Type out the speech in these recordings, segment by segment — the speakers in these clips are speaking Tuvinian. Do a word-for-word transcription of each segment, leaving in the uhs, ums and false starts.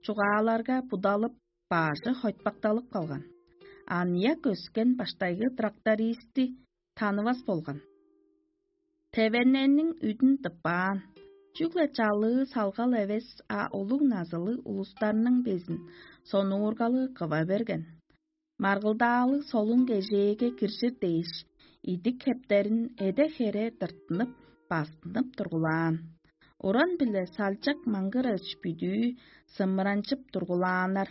чугааларга будалып, бажы хойтпакталып калган. Аныяк өскен баштайгы трактористти танывас болган. Тевеннениң үдүн тыппаан, чүгле чалыы салгал эвес, а улуг назылыг улустарның безин сонуургалы кыва берген. Маргылдаалыг солун кежээге киржир дээш, идик хептерин эде-хере тырттынып, бастынып тургулаан. Уран биле салчак маңгырыч бүдүү сымыранчып тургулааннар.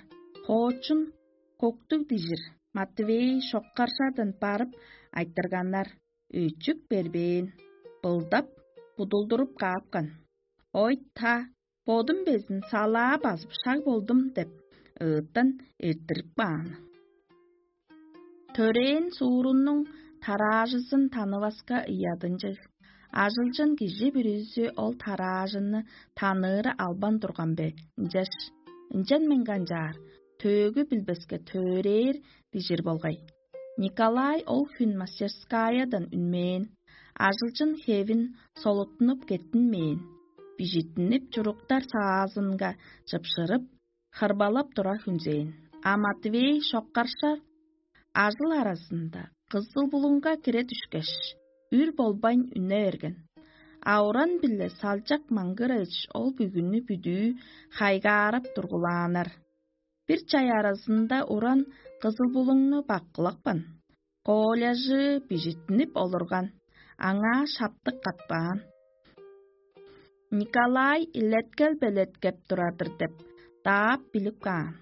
Хоочун коктуг дижир Матвей шоккаршадан барып айтырганнар, өчүк бербээн, былдап, будулдуруп каапкан. «Ой-та, бодум безин салаа базып шаг болдум» – деп ыыттан эрттирип каан. Төрээн суурунуң тараажызын танываска ыядынчыг. Ажылчын кижи бүрүзү ол тараажыны таныыры албан турган бе? Ынчаш, ынчан мен канчаар, төөгү билбеске төөрээр дижир болгай. Николай ол хүн мастерскаядан үнмээн, ажылчын хевин солуттунуп кеттинмээн, бижиттинип чуруктар саазынга чыпшырып, хырбалап тура хүнзээн. А Матвей шоккаршар ажыл аразында кызыл булуңга кире дүшкеш, үр болбайн үне берген. Ауран биле салчак маңгырайыш ол бүгүнү бүдүү хайгаарап тургулааннар. Бир чай аразында уран кызыл булуңну баккылапкан. Кооляжы бижиттинип олурган, аңаа шаптык катпаан. Николай илеткел белеткеп турар-дыр деп, даап билип каан.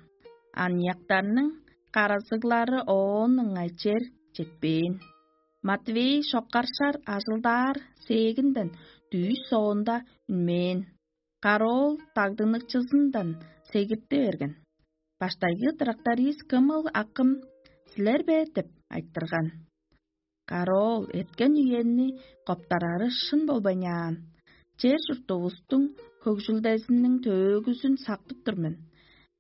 Аныяктарның каразыглары оон ыңай чер четпээн. Матвей шоккаршар ажылдаар сээкинден дүүш соонда үнмээн. Кароол дагдыныкчызындан сегирти берген. «Баштайгы тракторист кымыл акым, силер бе?» – деп айтырган. Кароол эрткен үенни коптарары шын болбайнаан. Чер чуртувустуң хөгжүлдезиниң төөгүзүн сактып тур мен.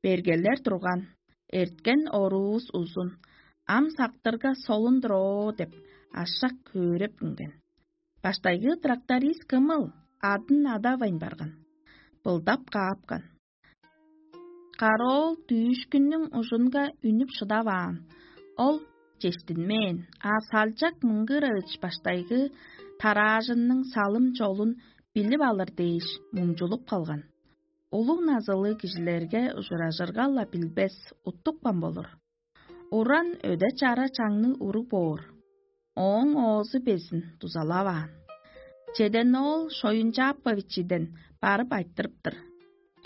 Бергелер турган, эрткен оруувус узун, ам сактырга солун-дур оо деп, ашак хөөреп үнген. Баштайгы тракторист кымыл адын адавайн барган, былдап каапкан. Кароол дүүшкүннүң ужунга үнүп шыдаваан. Ол чештинмээн, а салчак мыңгыравыч баштайгы тараажынның салым чолун билип алыр дээш муңчулуп калган. Улуг назылыг кижилерге ужуражырга-ла билбес, уттупкан болур. Уран өде-чара чаңныг уруг боор. Ооң оозу безин дузалаваан. Чеден-оол Шоюнчааповичиден барып айтырыптыр.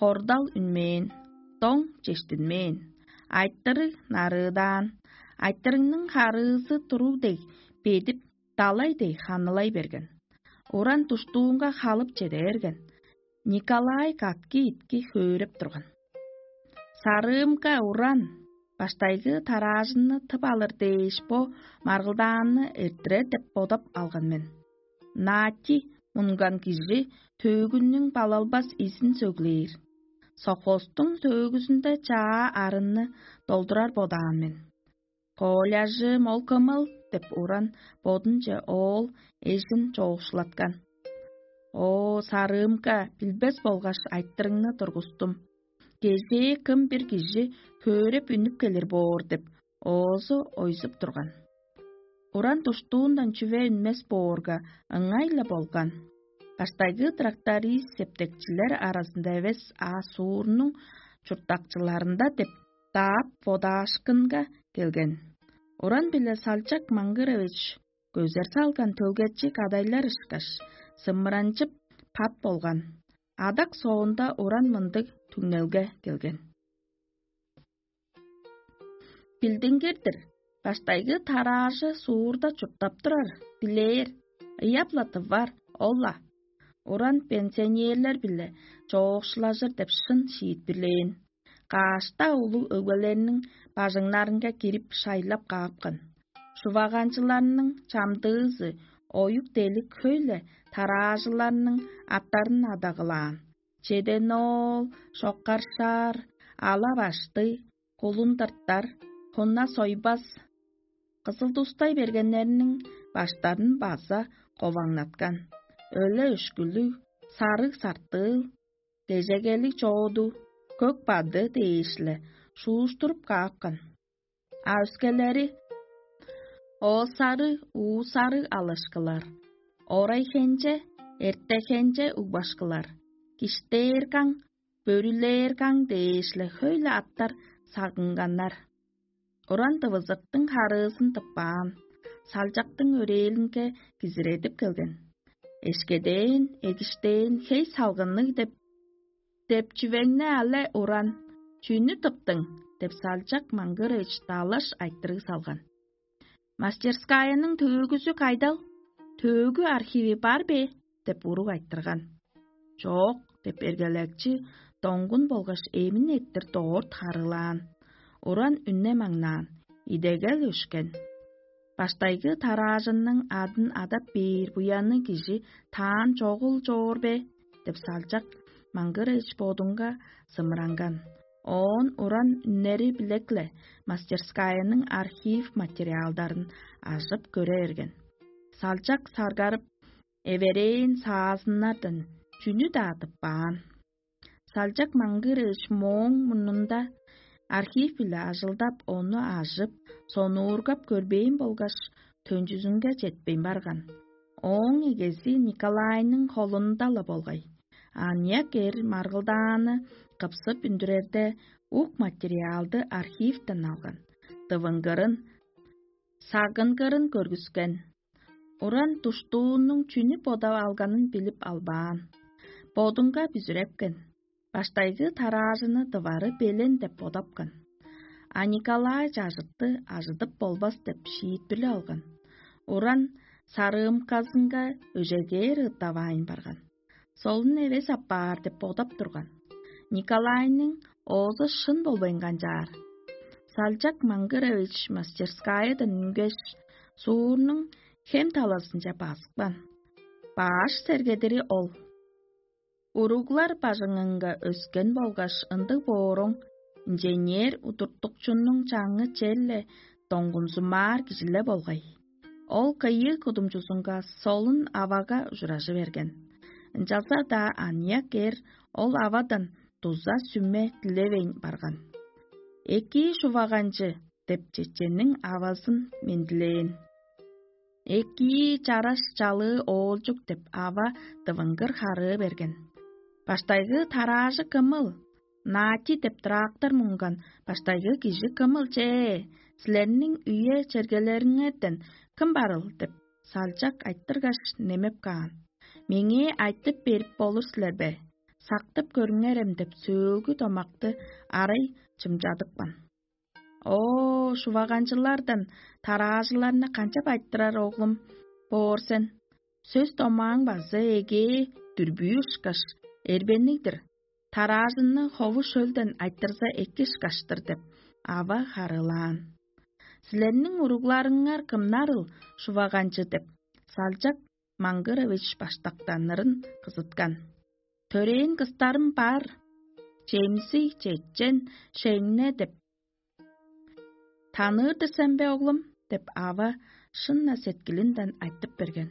Кордал үнмээн, доң чештинмээн, айтырыг нарыыдаан, айтырыгның харыызы туруг дег бедип, далай дег ханылай берген. Уран душтуунга халып чеде берген. Николай катки-итки хөөреп турган. Сарыымга уран, баштайгы тараажынны тып алыр дээш бо маргылдаанны эрттирер деп бодап алган мен. Наати мунган кижи төөгүннүң балалбас изин сөглээр. Совхозтуң төөгүзүнде чаа арынны долдурар бодаан мен. «Коляжы мол кымыл» – деп уран бодунче оол эжин чоокшулаткан. «О, сарыымга, билбес болгаш айтырыңны тургустум. Кезээ кым бир кижи хөөреп үнүп келир боор» – деп, оозу ойзуп турган. Уран душтуундан чүве үнмес боорга, ыңай-ла болган. Баштайгы тракторист септекчилер аразында эвес, а суурнуң чурттакчыларында деп, даап бодаашкынга келген. Уран биле салчак Маңгырович көзер салган төлгечи кадайлар ышкаш, сымыранчып пат болган. Адак соонда уран мындыг түңнелге келген. Билдингир-дир, баштайгы тараажы суурда чурттап турар, билээр, ыяп-ла тывар, ол-ла. Уран пенсионерлер-биле чоокшулажыр деп шын шиитпирлээн. Кашта улуг өгбелерниң бажыңнарынга кирип шайлап каапкан. Шуваганчыларның чамдыызы оюк-делик хөй-ле тараажыларның аттарын адагылаан: Чеден-оол, Шоккаршаар, Ала-башты, Кулун-дыртар, Хуна-сойбас, кызыл тустай бергеннерниң баштарын база коваңнаткан. Өле-өшкүлүг, сарыг-сартыыл, кежегелиг чооду, көк бады дээш-ле шууштуруп каапкан. А өскелери оосары, уусары алышкылар, орай хенче, эрте хенче угбашкылар, киштээр каң, бөрүлээр каң дээш-ле хөй-ле аттар сагынганнар. Уран дывызыктың харыызын тыппаан, салчактың өрээлинге кизиредип келген. Эшкедээн, эгиштээн, хей салгынныг деп, деп чүвеңни але уран, чүнү тыптың? Деп салчак маңгырыч далаш айтырыг салган. Мастерскаяның төөгүзү кайдал? Төөгү архиви бар бе? Деп уруг айтырган. Чоок, деп эргелекчи доңгун болгаш эмин эттир доорт харыылаан, уран үнне маңнаан, идегел өшкен. Баштайгы тараажынның адын адап бээр буянныг кижи таан чогул чоор бе? Деп салчак маңгырыч бодунга сымыранган. Оон уран үннери билек-ле мастерскаяның архив материалдарын ажып көре берген. Салчак саргарып, эверээн саазыннардан чүнү-даа тыппаан. Салчак маңгырыш мооң мурнунда архив-биле ажылдап, ону ажып, сонуургап көрбээн болгаш, төнчүзүнге четпейн барган. Ооң эгези Николайның холунда-ла болгай. Аныяк эр маргылдааны кыпсып үндүрерде, ук материалды архивтен алган. Дывынгырын, сагынгырын көргүскен. Уран душтуунуң чүнү бодап алганын билип албаан. Бодунга бүзүрепкен. Баштайгы тараажыны дывары белен деп бодапкан. А Николай чажытты ажыдып болбас деп шиитпирлеп алган. Уран сарыымказынга өжегээр ыттаваайн барган. Солун эвес апаар деп бодап турган. Николайның оозу шын болбайн канчаар. Салчак Маңгырович мастерскаядан үнгеш, суурнуң хем талазынче базыпкан. Баш сергедири ол. Уруглар бажыңынга өскен болгаш ындыг бооруң, инженер удуртукчунуң чаңы черле доңгунзумаар кижиле болгай. Ол кыйыы кудумчузунга солун авага ужуражы берген. Ынчалза-даа аныяк эр ол авадан дуза сүме дилевейн барган. «Экии, шуваганчы» деп, чеченниң авазын мендилээн. «Экии, чараш чалыы оолчук» деп, ава дывынгыр харыы берген. «Баштайгы тараажы кымыл? Нати деп трактор мунган баштайгы кижи кымыл чээ? Силерниң үе-чергелериңерден кым барыл?» — деп, салчак айтыргаш, немеп каан. «Меңээ айтып берип болур силер бе? Сактып көрүңерем» — деп, сөөлгү домакты арай чымчадыпкан. «О, шуваганчылардан тараажыларны канчап айтырар, оглум, боор сен? Сөс-домааң база эгээ дүрбүү ышкаш, эрбенниг-дир. Тараажынны хову шөлден айтырза эки ышкаш-тыр» — деп, ава харыылаан. «Силерниң уругларыңар кымнарыл, шуваганчы?» — деп, салчак Маңгырович баштактанырын кызыткан. «Төрээн кыстарым бар: Чемсиг, Чечен, Шеңне деп. Таныыр-дыр сен бе, оглум?» — деп, ава шын-на сеткилинден айтып берген.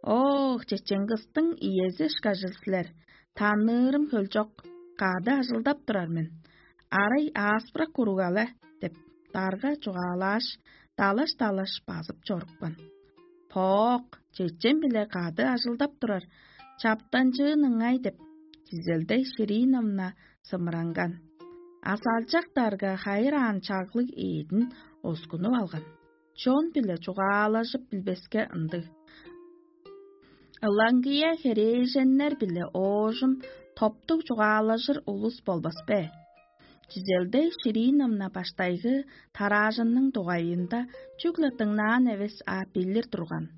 «Ох, чечен кыстың иези ышкажыл силер, таныырым хөлчок, кады ажылдап турар мен. Арай ааспырак уруг але» — деп, дарга чугаалааш, далаш-далаш базып чорупкан. «Поок, чечен-биле кады ажылдап турар, чаптанчыын ыңай» — деп, Чизелдей Шириновна сымыранган. А салчак дарга хайыраан чаглыг эъдин оскунуп алган. Чон-биле чугаалажып билбеске ындыг. Ылаңгыя херээженнер-биле оожум топтуг чугаалажыр улус болбас бе? Чизелдей Шириновна баштайгы тараажынның дугайында чүгле дыңнаан эвес, а билир турган.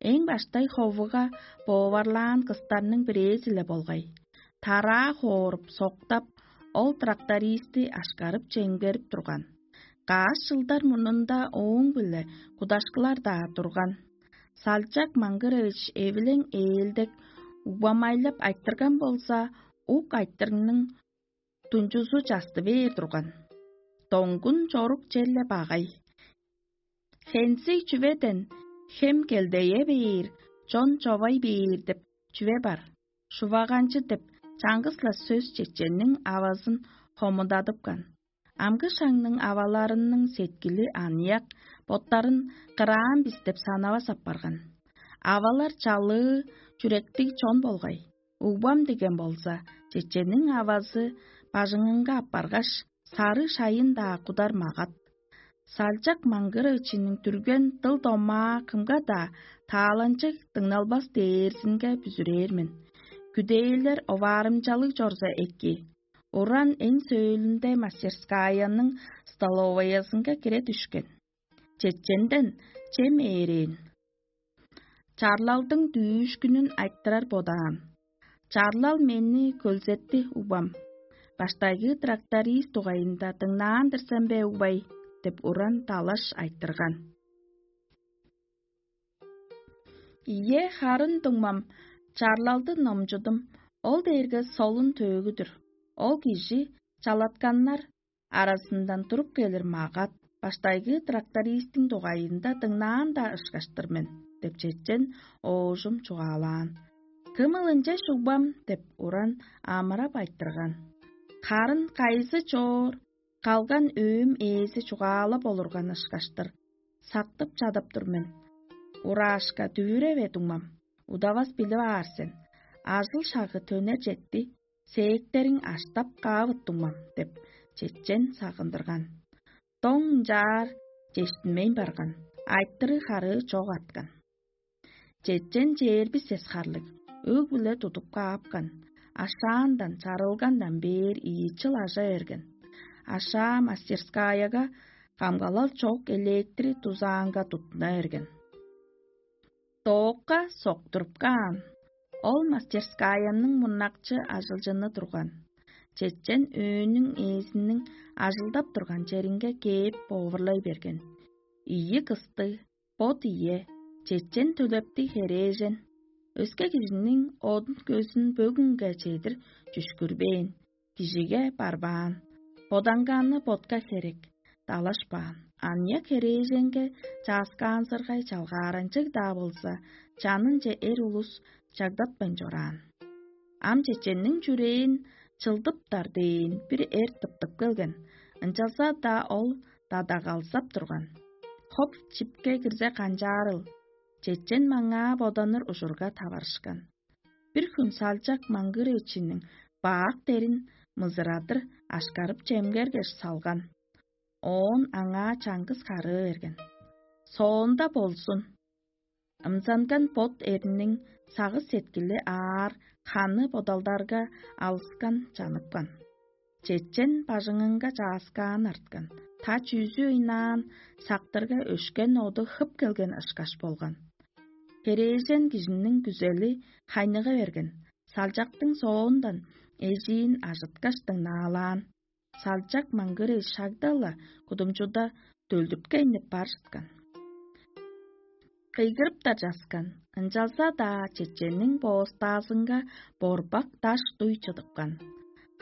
Эң баштай ховуга бооварлаан кыстарның бирээзи-ле болгай. Тараа хооруп, соктап, ол трактористи ашкарып-чемгерип турган. Каш чылдар мурнунда ооң-биле кудашкылар-даа турган. Салчак Маңгырович эвилең ээлдек угбамайлап айтырган болза, ук айтырыгның тунчузу часты бээр турган. Доңгун чорук черле багай. Хензиг чүведен хем келдее бээр, чон човай бээр деп чүве бар. Шуваганчы деп чаңгыс-ла сөс чеченниң авазын хомудадыпкан. Амгы шаңның аваларының сеткили аныяк, боттарын кыраан бис деп санавас апарган. Авалар чалыы, чүректиг чон болгай. Угбам деген болза, чечениң авазы бажыңынга аппаргаш, сары шайын-даа кудар магат. Салчак маңгырыычының түрген дыл-домаа кымга-даа тааланчыг дыңналбас дээрзинге бүзүрээр мен. Күдээлер оваарымчалыг чорза эки, уран эң сөөлүнде мастерскаяның столоваязынга кире дүшкен. Чеченден чем ээрээн. Чарлалдың дүүшкүнүн айтырар бодаан. Чарлал мени көлзетти, угбам. Баштайгы тракторист дугайында дыңнаан-дыр сен бе, угбай? — деп уран талаш айтырган. Ийе, харын дуңмам, чарлалды номчудум. Ол дээрге солун төөгү-дүр. Ол кижи чалатканнар аразындан туруп келир магат, баштайгы трактористтиң дугайында дыңнаан-даа ышкаш-тыр мен, — деп чечен оожум чугаалаан. Кымыл ынча шугбам деп уран амырап айтырган. Харын кайызы чоор, калган өөм ээзи чугаалап олурган ышкаш-тыр. Сактып чадап тур мен. Ураашка дүвүреве дуңмам, удавас билип аар сен. Ажыл шагы төнер четти, сээктериң аштап каавыт дуңмам деп, чечен сагындырган. Доң ынчаар чештинмейн барган, айтырыг харыы чок арткан. Чечен чээрби сес харлыг, өг-бүле тудуп каапкан, ашаандан, чарылгандан бээр ийи чыл ажа берген. Ашаа мастерскаяга камгалал чок электри дузаанга туттуна берген. Доокка соктуруп каан. Ол мастерскаянның мурнакчы ажылчыны турган. Чечен өөнүң ээзиниң ажылдап турган черинге кээп бовурлай берген. Ийи кысты, бот ийе, чечен төлептиг херээжен. Өске кижиниң одун-көзүн бөгүнге чедир чүшкүрбээн, кижиге барбаан, боданганы ботка херек, далашпаан. Аныяк херээженге чааскаанзыргай чалгааранчыг-даа болза, чанынче эр улус чагдатпайн чораан. Ам чеченниң чүрээн чылдыптар дээн бир эр тыптып келген, ынчалза-даа ол дадагалзап турган. Хоп, чипке кирзе канчаарыл? Чечен маңаа боданыр ужурга таварышкан. Бир хүн салчак маңгыр эчиниң баак дерин мызырадыр ашкарып чемгергеш салган. Оон аңаа чаңгыс харыы берген. Соонда болзун. Ымзанган бот эрниң сагыш-сеткили аар, ханы бодалдарга алыскан чаныпкан. Чечен бажыңынга чааскаан арткан, та чүүзү ыйнаан, сактырга өшкен оду хып келген ышкаш болган. Херээжен кижиниң күзели хайныга берген, салчактың соондан эжиин ажыткаш дыңнаалаан. Салчак маңгыры шагда-ла кудумчуда дөлдүрткейнип бар чыткан. Кыйгырыптар часкан, ынчалза-даа чеченниң боостаазынга борбак даш дуй чыдыпкан.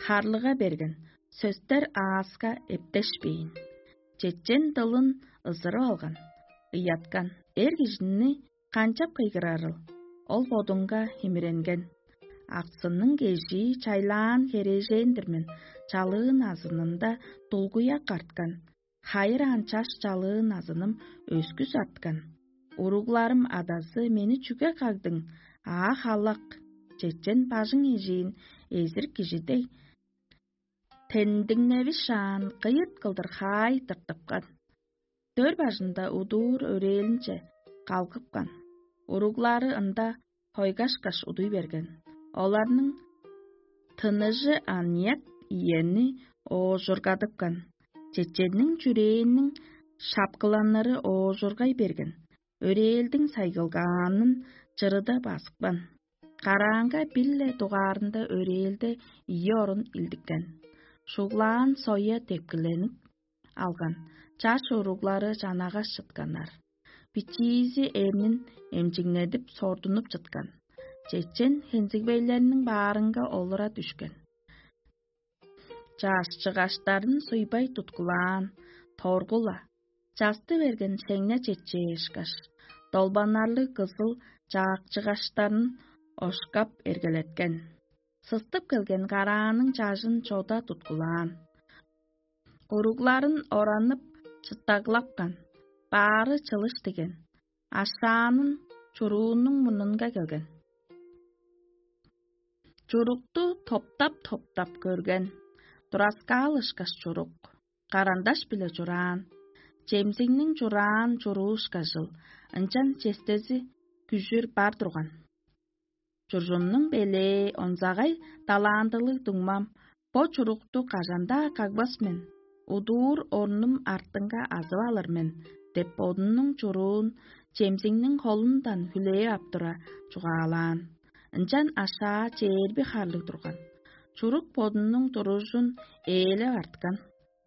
Харлыга берген, сөстер ааска эптешпээн. Чечен дылын ызырып алган, ыяткан. Эр кижини канчап кыйгырарыл? Ол бодунга химиренген. Аксының кежии чайлаан херээжен-дир мен, чалыын азынында дулгуяк арткан. Хайыраан чаш чалыын азыным өскүс арткан. Уругларым адазы мени чүге кагдың? Аа халак, чечен бажың эжиин эзир кижи дег тендиңневишаан кыйыт кылдыр хаай тыртыпкан. Дөр бажында удуур өрээлинче калгыпкан. Уруглары ында хойгашкаш удуй берген. Оларның тыныжы аныяк иени оожургадыпкан. Чеченниң чүрээнниң шапкыланнары оожургай берген. Өрээлдиң сайгылгаанын чырыда базыпкан. Караанга бир-ле дугаарында өрээлде ийи орун илдиккен. Шуглаан соя тепкиленип алган, чаш уруглары чанагаш чытканнар. Бичиизи эмнин эмчиңнедип сордунуп чыткан. Чечен хензигбейлерниң баарынга олура дүшкен. Чаашчыгаштарын суйбай туткулаан, торгула, часты берген шеңне четчээшкаш, долбанарлыг кызыл чаакчыгаштарын ошкап эргелеткен. Сыстып келген карааның чажын чода туткулаан. Куругларын оранып, чыттаглапкан, баары чылыш диген. Ашаанын чуруунуң мурнунга келген. Чурукту топтап-топтап көрген. Тураскаал ышкаш чурук, карандаш-биле чураан, чемзиңниң чураан чуруу ышкажыл, ынчан честези күжүр бар турган. Чуржумнуң белээ онзагай далаандылыг дуңмам: «Бо чурукту кажан-даа кагбас мен, удуур орнум артынга азып алыр мен» – деп, бодунуң чуруун чемзиңниң холундан хүлээп ап тура чугаалаан. Ынчан ашаа чээрби харлыг турган. Чурук бодунуң туружун ээлеп арткан.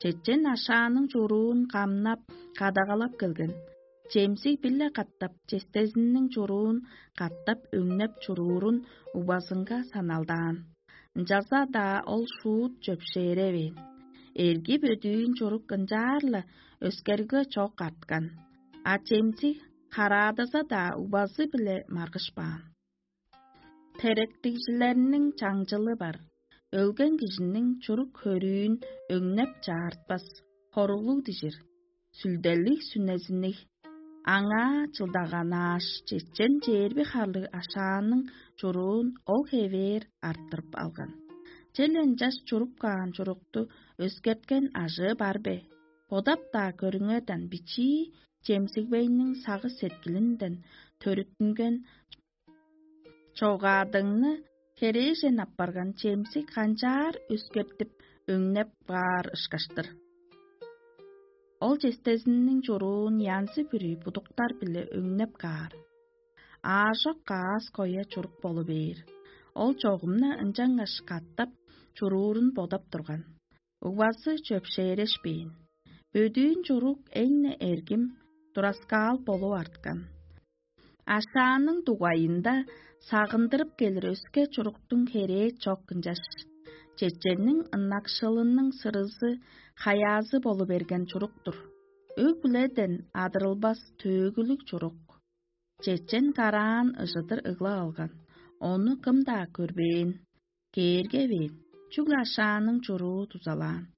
Чечен ашааның чуруун камнап, кадагалап келген. Чемзиг бир-ле катап честезиниң чуруун катап өңнеп чуруурун угбазынга саналдаан. Ынчалза-даа ол шуут чөпшээревээн. Эрги бөдүүн чурук ынчаар-ла өскерге чок арткан, а чемзиг караадаза-даа угбазы-биле маргышпаан. Теректигжилерниң чаңчылы бар. Өлген кижиниң чурук хөрүүн өңнеп чаартпас, хоруглуг дижир, сүлделиг сүнезинниг. Аңаа чылдаганааш, чечен чээрби харлыг ашааның чуруун ол хевээр арттырып алган. Чел ынчаш чуруп каан чурукту өскерткен ажыы бар бе? Бодап-даа көрүңерден, бичии чемсигбейниң сагыш сеткилинден төрүттүнген чогаадыңны херээжен аппарган чемсиг канчаар өскертип, өңнеп баар ышкаштыр. Ол честезиниң чуруун янзы-бүрү будуктар-биле өңнеп каар. Аажок каас коя чурук болу бээр. Ол чогумна ынчангаш катап чуруурун бодап турган. Угбазы чөпшээрешпээн. Бөдүүн чурук эң-не эргим, тураскаал болуп арткан. Ашааның дугайында сагындырып келир өске чуруктуң херээ чок ынчаш. Чеченниң ынакшылының сырызы, хаяазы болу берген чурук-тур. Өг-бүледен адырылбас төөгүлүг чурук. Чечен караан ыжыдыр ыглап алган, ону кым-даа көрбээн. Кээрге бээр, чүгле ашааның чуруу дузалаан.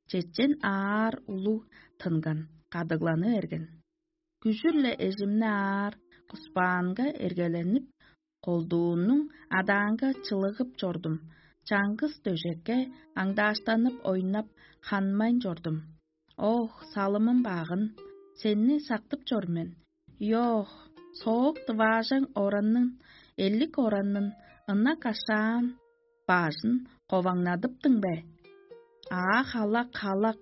Чечен аар улуг тынган, кадыгланы берген. Күжүр-ле эжимни аар куспаанга эргеленип, колдуунуң адаанга чылыгып чордум. Чаңгыс дөжекке аңдааштанып ойнап, ханмайн чордум. Ох, салымым багын, сени сактып чор мен. Йоох, соок дываажаң ораннын, элик ораннын, ынак ашаан бажын коваңнадыптың бе? Аа, халак, халак!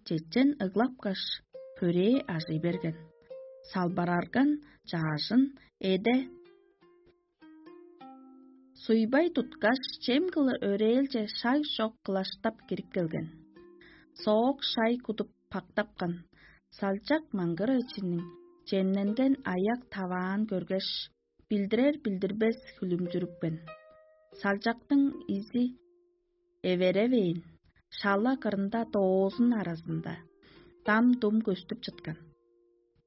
Чечен ыглапкаш, хөрээ ажый берген. Салбарарган чаажын эде суйбай туткаш, чем кылыр өрээлче шаг чок кылаштап кирип келген. Соок шай кудуп пактапкан. Салчак маңгырайчының чемненген аяк таваан көргеш, билдирер-билдирбес хүлүмзүрүпкен. Салчактың изи эверевээн, шала кырында доозун аразында дам-дум көстүп чыткан.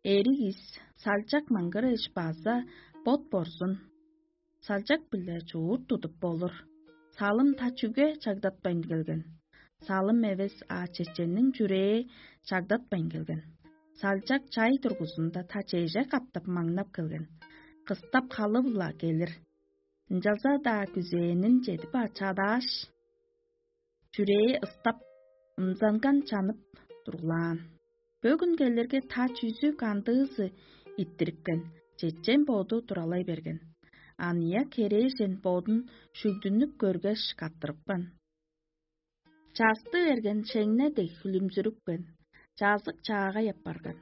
Эриг ис, салчак маңгырыыш база бот борзун. Салчак-биле чуут тудуп болур. Салым та чүге чагдатпайн келген? Салым эвес, а чеченниң чүрээ чагдатпайн келген. Салчак чай тургузунда та чеже каптап маңнап келген. Кыстап халып-ла келир. Ынчалза-даа күзээнин чедип чадааш, чүрээ ыстап, ымзанган чанып тургулаан. Бөгүн келирге та чүзү кандыызы иттирипкен, чечен боду туралай берген. Аныяк херээжен бодун шүгдүнүп көргеш, каттырыпкан. Часты берген шеңне дег хүлүмзүрүпкен, чазык чаагай апарган.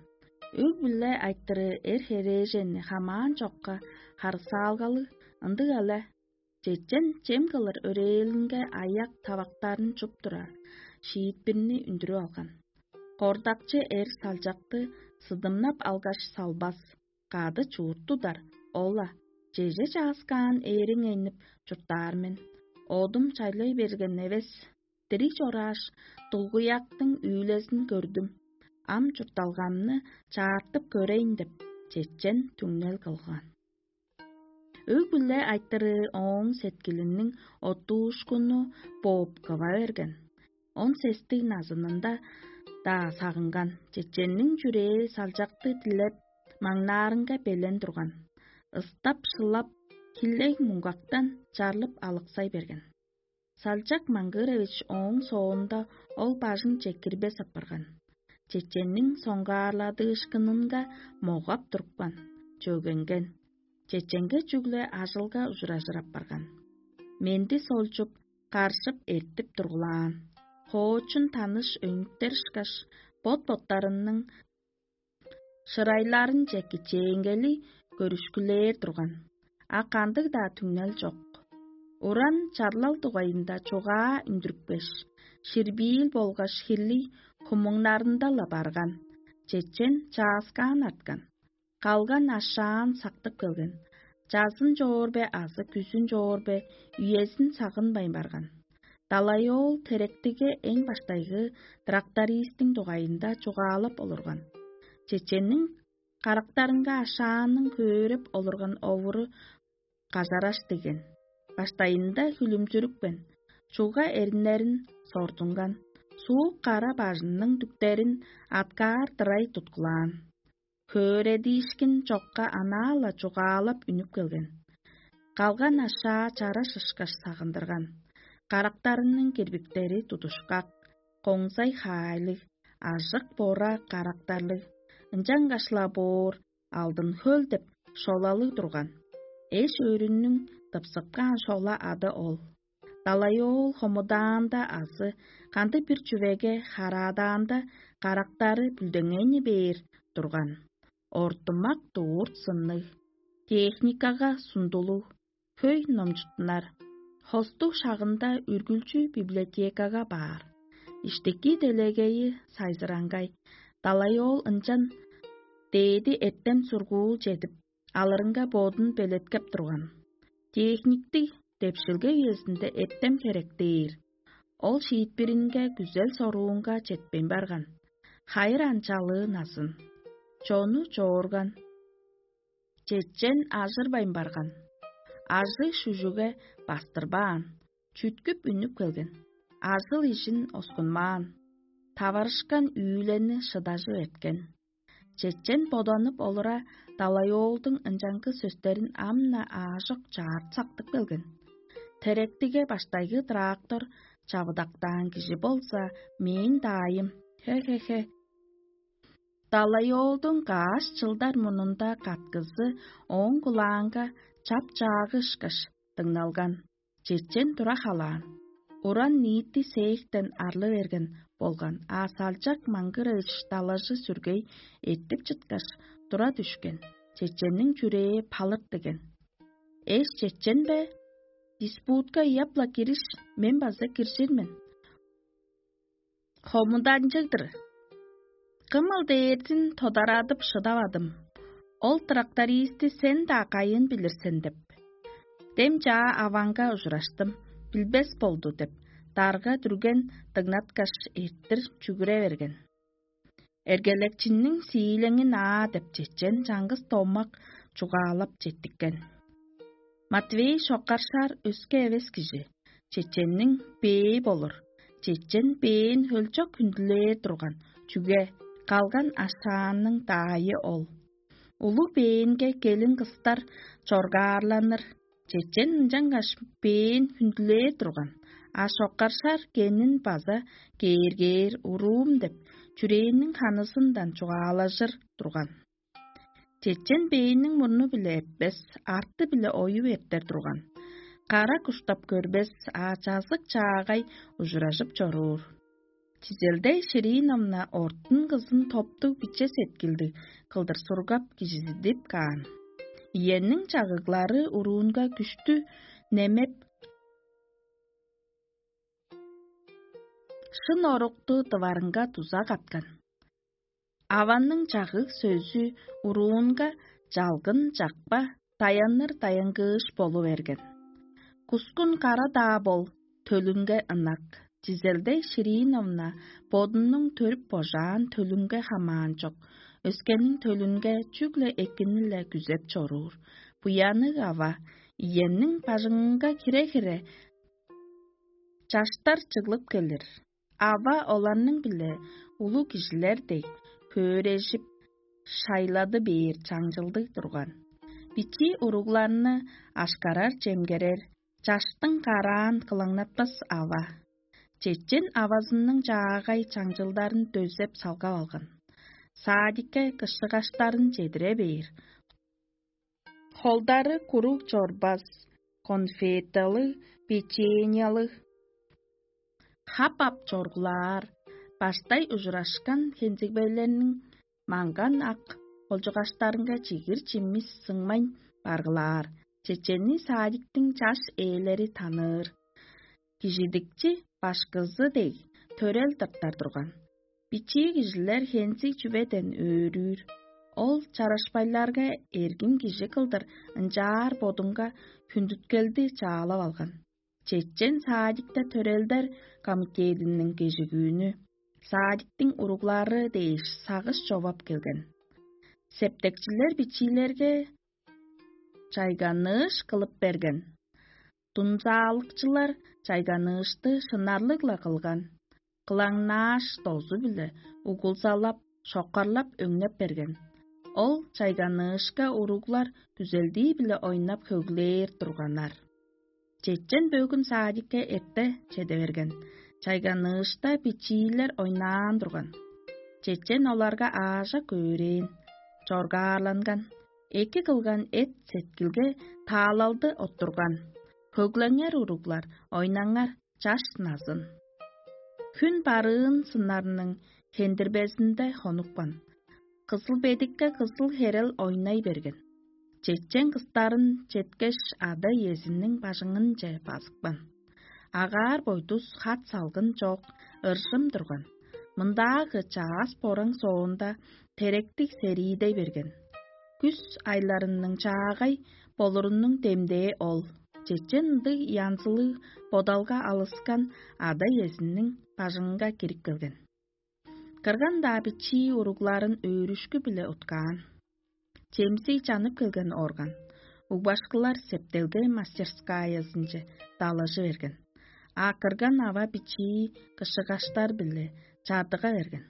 Өг-бүле айтырыы эр херээженни хамаан чокка харысаалгалыг, ындыг але. Чечен чем кылыр өрээлинге аяк тавактарын чуп тура, шиитпирни үндүрүп алган. Кордакчы эр салчакты сыдымнап алгаш салбас, кады чуут тудар, ол-ла: «Чеже чааскаан ээриң энип чурттаар мен, одум чайлай берген эвес, дириг чорааш, дулгуяктың үүлезин көрдүм, ам чуртталгамны чаартып көрейн» – деп, чечен түңнел кылган. Өг-бүле айтырыы ооң сеткилиниң оттуушкуну бооп кыва берген. Он сестиг назынында-даа сагынган, чеченниң чүрээ салчакты дилеп, маңнаарынга белен турган. Ыстап-шылап, хилег муңгактан чарлып алыксай берген. Салчак Маңгырович ооң соонда ол бажың чекирбес апарган. Чеченниң соңгаарладыышкынынга могап турупкан, чөгенген. Чеченге чүгле ажылга ужуражыр апарган. Менди солчуп, каржып эртип тургулаан. Хоочун таныш өңүттер ышкаш, бот-боттарының шырайларынче кичээнгели көрүшкүлээр турган, а кандыг-даа түңнел чок. Уран чарлал дугайында чугаа үндүрүпкеш, ширбиил болгаш хирлий хумуңнарында-ла барган, чечен чааскаан арткан, калган ашаан сактып келген. Чазын чоор бе азы күзүн чоор бе, үезин сагынмайн барган. Далай-оол теректиге эң баштайгы трактористтиң дугайында чугаалап олурган. Чеченниң карактарынга ашаанның хөөреп олурган овуру кажараш деген. Баштайында хүлүмчүрүпкен, чуга эриннерин сордунган, суук кара бажының дүктерин аткаар дырай туткулаан. Хөөредиишкин чокка анаа-ла чугаалап үнүп келген. Калган ашаа чараш ышкаш сагындырган. Карактарының кирбиктери тудушкак, коңзай хаайлыг, ажык-бора карактарлыг, ынчангаш-ла боор алдын хөл деп шолалыг турган. Эш өөрүннүң тыпсыпкаан шола ады ол. Далай-оол хомудаанда азы кандыг-бир чүвеге хараадаанда, карактары бүлдеңейни бээр турган. Ортумак дурт сынныг, техникага сундулуг, хөй номчуттунар, хостуг шагында үргүлчү библиотекага баар. Иштики делегейи сайзыраңгай, далай-оол ынчан дээди эртем сургуул чедип, алырынга бодун белеткеп турган. Техниктиг депшилге үезинде эртем херек дээр. Ол шиитпиринге күзел-соруунга четпейн барган. Хайыр ан чалыы назын. Чону чоорган. Чечен ажырбайн барган. Ажыг шүжүге бастырбаан, чүткүп үнүп келген. Ажыл-ижин оскунмаан. Таварышкан үүлени шыдажып эрткен. Чечен боданып олура, далай-оолдуң ынчангы сөстерин ам-на аажок чаарт сактып келген. Теректиге баштайгы трактор чавыдактаан кижи болза, мээң даайым. Хе-хе-хе. Далай-оолдуң каш чылдар мурнунда каткызы ооң кулаанга чап-чаагы ышкаш дыңналган. Чечен тура халаан. Уран ниити сээктен арлы берген болган, а салчак маңгырыыш далажы сүргей эртип чыткаш, тура дүшкен. Чеченниң чүрээ палырт деген. Эш чечен бе? Диспутка ыяп-ла кириш, мен база киржир мен. Хомуданчыг-дыр. Кымыл дээрзин тодарадып шыдавадым. Ол трактористти сен-даа кайын билир сен деп. Дем чаа аваңга ужураштым, билбес болду деп, дарга дүрген дыңнаткаш эрттир чүгүре берген. Эргелекчинниң сиилеңин аа деп чечен чаңгыс домак чугаалап четтиккен. Матвей шоккаршаар өске эвес кижи, чеченниң бээ болур. Чечен бээн хөлчок хүндүлээр турган, чүге калган ашаанның даайы ол. Улуг бээнге келин кыстар чоргаарланыр. Чечен ынчангаш бээн хүндүлээр турган, а шоккаршар кенин база кээргээр уруум деп, чүрээнниң ханызындан чугаалажыр турган. Чечен бээниң мурну-биле эппес, арты-биле оюп эртер турган. Кара куштап көрбес, а чазык чаагай ужуражып чоруур. Чизелдей Шириновна ортун кызын топтуг биче сеткилдиг кылдыр сургап кижизидип каан. Иенниң чагыглары уруунга күштү немеп, шын орукту дыварынга дуза каткан. Аванның чагыг сөзү уруунга чалгын чакпа, таянныр даянгыыш болу берген. Кускун кара-даа бол, төлүнге ынак. Чизелдей Шириновна бодунуң төрүп божаан төлүнге хамаан чок, өскениң төлүнге чүгле экини-ле күзеп чоруур. Буянныг ава иемниң бажыңынга кире-кире, чаштар чыглып келир. Ава оларның-биле улуг кижилер дег хөөрежип, шайлады бээр чаңчылдыг турган. Бичии уругларны ашкарар-чемгерер, чаштың караан кылаңнатпас ава. Чечен авазының чаагай чаңчылдарын дөзеп салгап алган. Садикке кышыгаштарын чедире бээр. Холдары куруг чорбас, конфеталыг, печеньялыг, хап-ап чоргулаар, баштай ужурашкан хензигбейлерниң маңган ак олчугаштарынга чигир-чимис сыңмайн баргылаар, чеченни садиктиң чаш ээлери таныыр. Кижидикчи башкызы дег, төрел тыртар турган. Бичии кижилер хензиг чүведен өөрүүр. Ол чарашпайларга эргин кижи кылдыр ынчаар бодунга хүндүткелди чаалап алган. Чечен садикте төрелдер комитединиң кежигүүнү садиктиң уруглары дээш сагыш човап келген. Септекчилер бичиилерге чайганыыш кылып берген. Дунзаалыкчылар чайганыышты шынарлыг-ла кылган. Кылаңнааш дозу-биле угулзалап, шокарлап өңнеп берген. Ол чайганыышка уруглар күзелдии-биле ойнап хөглээр турганнар. Чечен бөгүн садикке эрте чеде берген. Чайганыышта бичиилер ойнаан турган. Чечен оларга аажок өөрээн, чоргаарланган, эки кылган эт-сеткилге таалалды оттурган. Хөглеңер, уруглар, ойнаңар, чаш назын. Хүн барыын сыннарның хендирбезинде хонупкан. Кызыл бедикке кызыл херел ойнай берген. Чечен кыстарын четкеш, ада-иезиниң бажыңынче базыпкан. Агаар-бойдус, хат-салгын чок, ыржым турган. Мындаагы чаас бораң соонда теректиг сериидей берген. Күс айларының чаагай болурунуң демдээ ол. Чечен ындыг янзылыг бодалга алыскан ада-иезиниң бажыңынга кирип келген. Кырган-даа бичии уругларын өөрүшкү-биле уткаан. Чемсий чанып келген орган угбашкылар септелге мастерскаязынче далажы берген. А кырган ава бичии кышыгаштар-биле чадыга берген.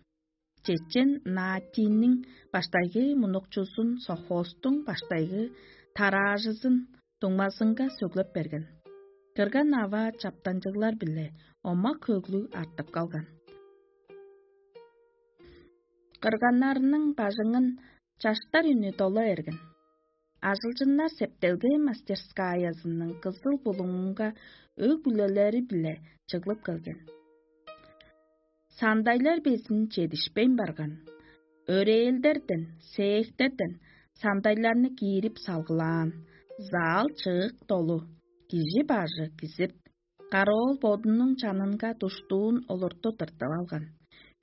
Чечен Наатинниң баштайгы мунукчузун, совхозтуң баштайгы тараажызын дуңмазынга сөглеп берген. Кырган ава чаптанчыглар-биле омак-хөглүг артып калган. Кырганнарының бажыңын чаштар үнү дола эрген. Ажылчыннар септелге мастерскаязының кызыл булуңунга өг-бүлелери-биле чыглып келген. Сандайлар безин чедишпейн барган. Өрээлдерден, сээктерден сандайларны киирип салгылаан. Зал чыык долу, кижи бажы кизип, караоол бодунуң чанынга душтуун олурту тыртып алган.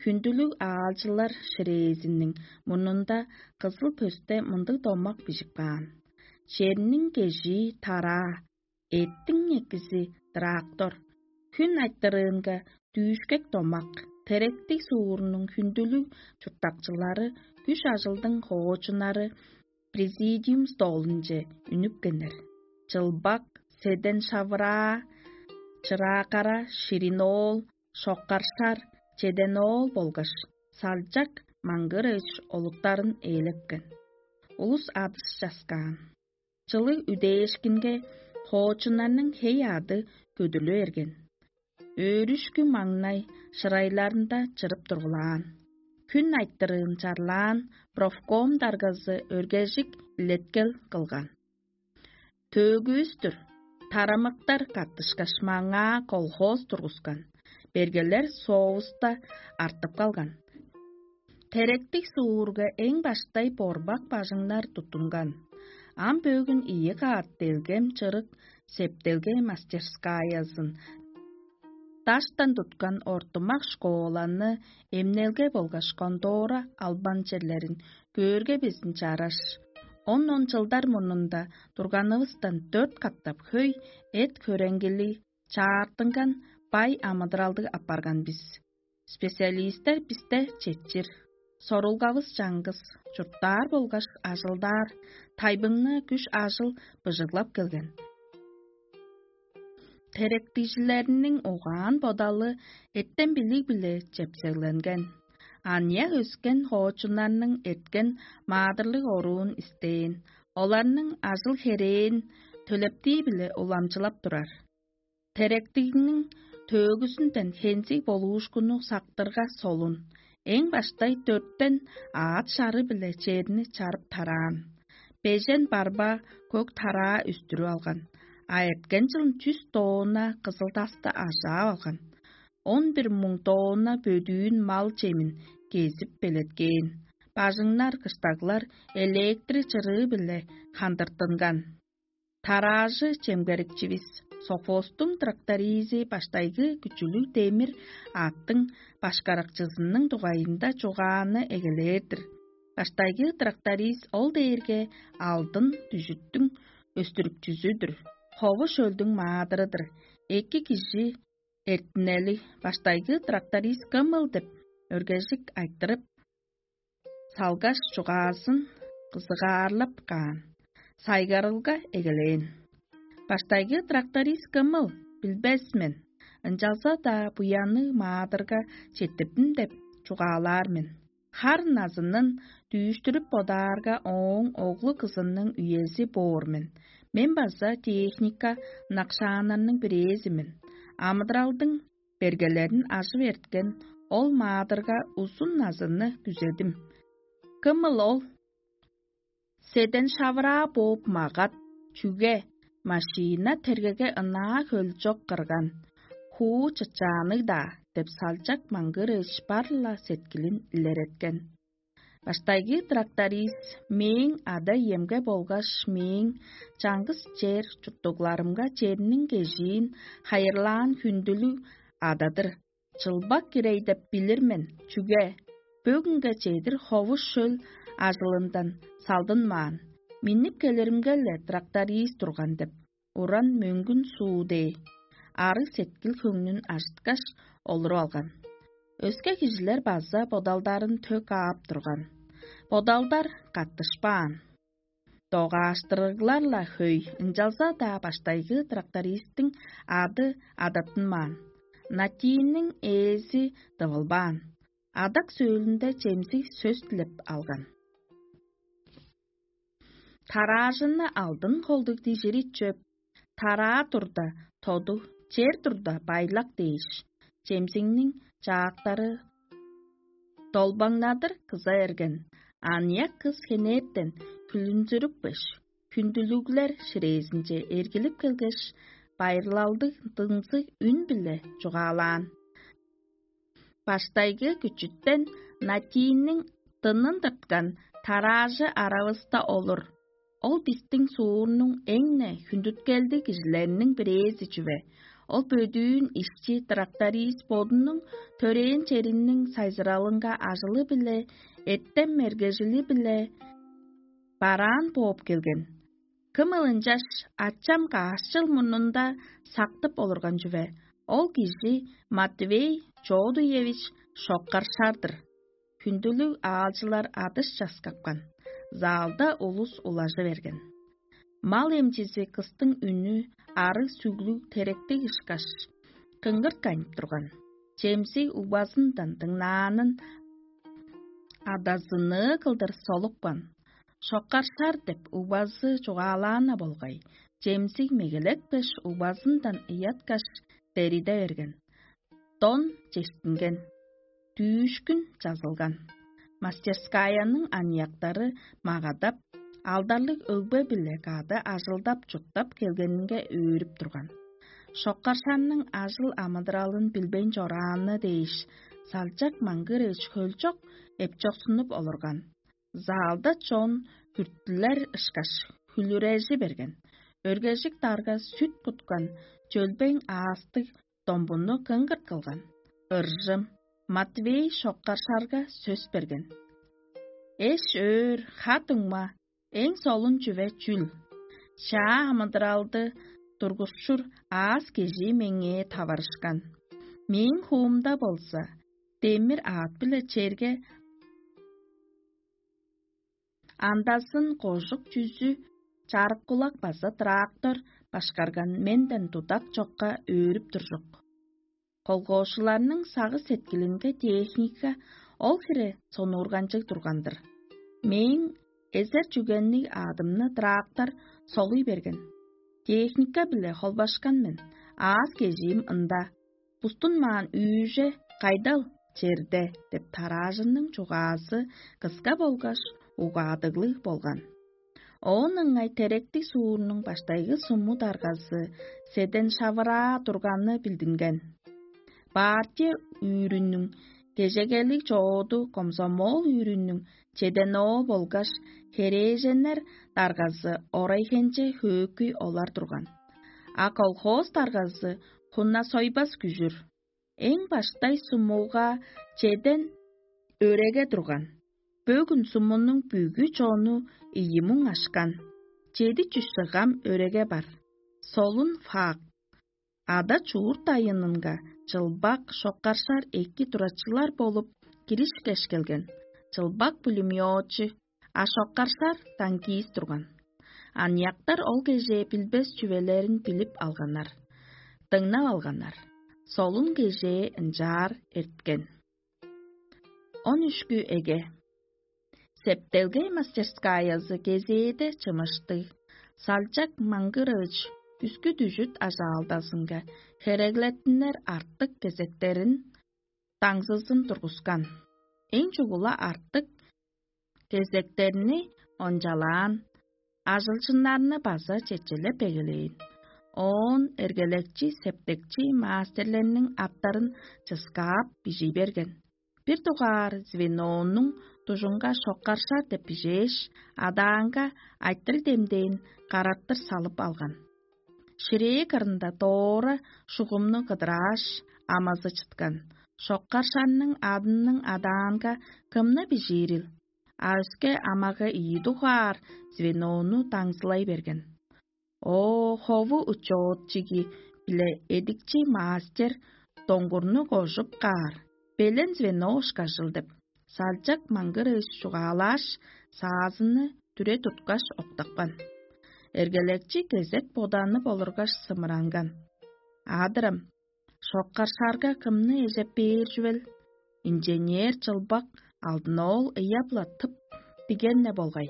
Хүндүлүг аалчылар ширээзиниң мурнунда кызыл пөсте мындыг домак бижип каан: «Черниң кежии тараа, эттиң экизи трактор, хүн айтырыынга дүүшкек домак, теректиг суурнуң хүндүлүг чурттакчылары, күш-ажылдың хоочуннары президиум столунче үнүпкеннер. Чылбак, седен шавыраа, чыраакара, ширин-оол, шокаршар, чеден-оол болгаш салчак маңгырыыш олуттарын ээлепкен. Улус адыш часкаан. Чылыг үдээшкинге хоочуннарның хей-аъды көдүрлү берген. Өөрүшкү маңнай шырайларында чырып тургулаан. Хүн айтырыын чарлаан профком даргазы өргежик илеткел кылган: «Төөгүвүс-түр, тарамыктар каттышкаш, маңаа колхоз тургускан, бергелер соовуста артып калган. Теректиг суурга эң баштай борбак бажыңнар туттунган. Ам бөгүн ийи каът делгем чырык септелге мастерскаязын, даштан туткан ортумак школаны, эмнелге болгаш контора албан черлерин көөрге безин чараш. Он-он чылдар мурнунда турганывыстан дөрт катап хөй эт-хөреңгили чаартынган бай амыдыралдыг апарган бис. Специалистер бисте четчир. Сорулгавыс чаңгыс, чурттаар болгаш ажылдаар тайбыңны күш-ажыл быжыглап келген. Теректижилерниң угаан-бодалы эртем-билиг-биле чепсегленген. Аныяк өскен хоочуннарның эрткен маадырлыг оруун истээн, оларның ажыл-херээн төлептии-биле уламчылап турар. Теректигниң төөгүзүнден хензиг болуушкунну сактырга солун, эң баштай дөрттен аът шары-биле черни чарып тараан. Бежен барба көк тараа үстүрүп алган, а эрткен чылын чүс тонна кызылдасты ажаап алган. Он бир муң тонна бөдүүн мал чемин кезип белеткээн. Бажыңнар, кыштаглар электри чырыы-биле хандыртынган. Тараажы чемгерикчивис Софостуң тракторизи баштайгы күчүлүг демир аъттың башкарыкчызының дугайында чугааны эгелээр-дир. Баштайгы тракторист ол дээрге алдын дүжүттүң өстүрүкчүзү-дүр, хову шөлдүң маадыры-дыр. Эки кижи эртинели баштайгы тракторист кымыл деп өргежик айтырып, салгаш чугаазын кызыгаарлап каан, сайгарылга эгелээн. Баштайгы тракторист кымыл билбес мен, ынчалза-даа буянныг маадырга четтирдим деп чугаалаар мен. Хар назынын дүүштүрүп бодаарга, ооң оглу-кызының үези боор мен. Мен база техника ынакшааннарның бирээзи мен. Амыдыралдың бергелерин ажып эрткен ол маадырга узун назынны күзедим. Кымыл ол? Седен шавыраа бооп магат, чүге, машина тергеге ынаа хөлчок кырган, хуу чычаанныг-даа деп салчак маңгырыыш бар-ла сеткилин илереткен. Баштайгы тракторист мээң ада-иемге болгаш мээң чаңгыс чер чурттугларымга черниң кежиин хайырлаан хүндүлүг ададыр. Чылбак кирей деп билир мен, чүге бөгүнге чедир ховуш шөл ажылындан салдынмаан, миннип келиримге-ле тракторист турган деп, уран мөңгүн суу дээ, арыг сеткил хөңнүн ажыткаш, олуруп алган. Өске кижилер база бодалдарын төк аап турган. Бодалдар каттышпаан. Догааштырыглар-ла хөй, ынчалза-даа баштайгы трактористтиң ады адаттынмаан, натиинниң ээзи дывылбаан. Адак сөөлүнде чемзиг сөс дилеп алган. Тараажынны алдын холдуг дижири чөп, тараа турда тоду, чер турда байлак дээш, чемзигниң чаактары долбаңнадыр кыза эрген, аныяк кыс хенээптен хүлүнзүрүпкеш, хүндүлүглер ширээзинче эргилип келгеш, байырлалдыг дыңзыг үн-биле чугаалаан. Баштайгы күчүттен натиинниң дынын тырткан тараажы аравыста олур. Ол бистиң суурнуң эң-не хүндүткелдиг кижилериниң бирээзи чүве. Ол бөдүүн ишчи тракторист бодунуң төрээн чериниң сайзыралынга ажылы-биле, эртем мергежили-биле бараан бооп келген. Кымыл ынчаш ачам каш чыл мурнунда сактып олурган чүве. Ол кижи Матвей Чоодуевич Шоккаршар-дыр. Хүндүлүг аалчылар адыш часкапкан. Залда улус улажы берген. Мал эмчизи кыстың үнү арыг сүглүг теректиг ышкаш, кыңгырт канып турган. Чемзиг угбазындан дыңнаанын адазыныы кылдыр солупкан. Шоккаршар деп угбазы чугаалаан-на болгай, чемзиг мегелетпеш, угбазындан ыяткаш, дериде берген. Дон чештинген, дүүшкүн чазылган. Мастерскаяның аныяктары магадап, алдарлыг өгбе-биле кады ажылдап-чурттап келгенинге өөрүп турган. Шоккаршанның ажыл-амыдыралын билбейн чорааны дээш, салчак маңгыр эш хөлчок эпчоксунуп олурган. Залда чон хүрттүлер ышкаш, хүлүрежи берген. Өргежик дарга сүт куткан чөлбең аастыг домбунну кыңгырт кылган. Ыржым Матвей Шоккаршарга сөс берген: «Эш-өөр, ха-дуңма, эң солун чүве чүл? Чаа амыдыралды тургушчур аас-кежии меңээ таварышкан. Мээң хуумда болза, демир аът-биле черге Андасын кожук чүзү чарык кулак база трактор башкарган менден тудак чокка өөрүп туржук. Колгоошуларның сагыш-сеткилинге техника ол хире сонуурганчыг турган-дыр. Мээң эзер чүгенниг аадымны трактор солуй берген. Техника-биле холбашкан мен, аас-кежиим ында. Бустун маан үүже кайдал черде деп тараажынның чугаазы кыска болгаш угаадыглыг болган. Оон ыңай теректиг суурнуң баштайгы суму даргазы седен шавыраа турганы билдинген. Партия үүрүнүң кежегелиг чооду комсомол үүрүнүң чеденоо болгаш херээженнер даргазы орайхенче хөөкүй олар турган. А колхоз даргазы хуна сойбас күжүр. Эң баштай сумуга чеден өреге турган. Бөгүн сумунуң бүгү чону ийимуң ашкан. Чеди чүс сыгам өреге бар. Солун факт. Ада чуурт айынынга чылбак шоккаршар эки турачылар болуп киришкеш келген. Чылбак пулемётчу, а шоккаршар танкист турган. Аныяктар ол кежээ билбес чүвелерин билип алганнар, дыңнап алганнар. Солун кежээ ынчаар эрткен. Он үшкү эге. Септелгей мастерскаязы кезээде чымыштыг. Салчак Маңгырович үскү дүжүт ажаалдазынга хереглеттинер артык кезектерин даңзызын тургускан. Эң чугула артык кезектерни ончалаан, ажылчыннарны база чечелеп эгелээн. Оон эргелекчи, септекчи маастерлерниң аттарын чыскаап бижий берген. Бир дугаар звенонуң дужунга шоккаршар деп бижээш, адаанга айтырыг демдээн карартыр салып алган. Ширээ кырында доора шугумну кыдырааш, амазы чыткан. Шоккаршарның адының адаанга кымны бижиирил? А өске амага ийи дугаар звенону даңзылай берген. О, хову учоотчиги биле эдикчи мастер доңгурну кожуп каар, белен звено ышкажыл деп, салчак маңгырыыш чугаалааш, саазыны дүре туткаш октапкан. Эргелекчи кезек боданып олургаш сымыранган: «Адырам, шоккаршаарга кымны эжеп бээр чүвел? Инженер чылбак алдын ол ыяп-ла тып диген-не болгай.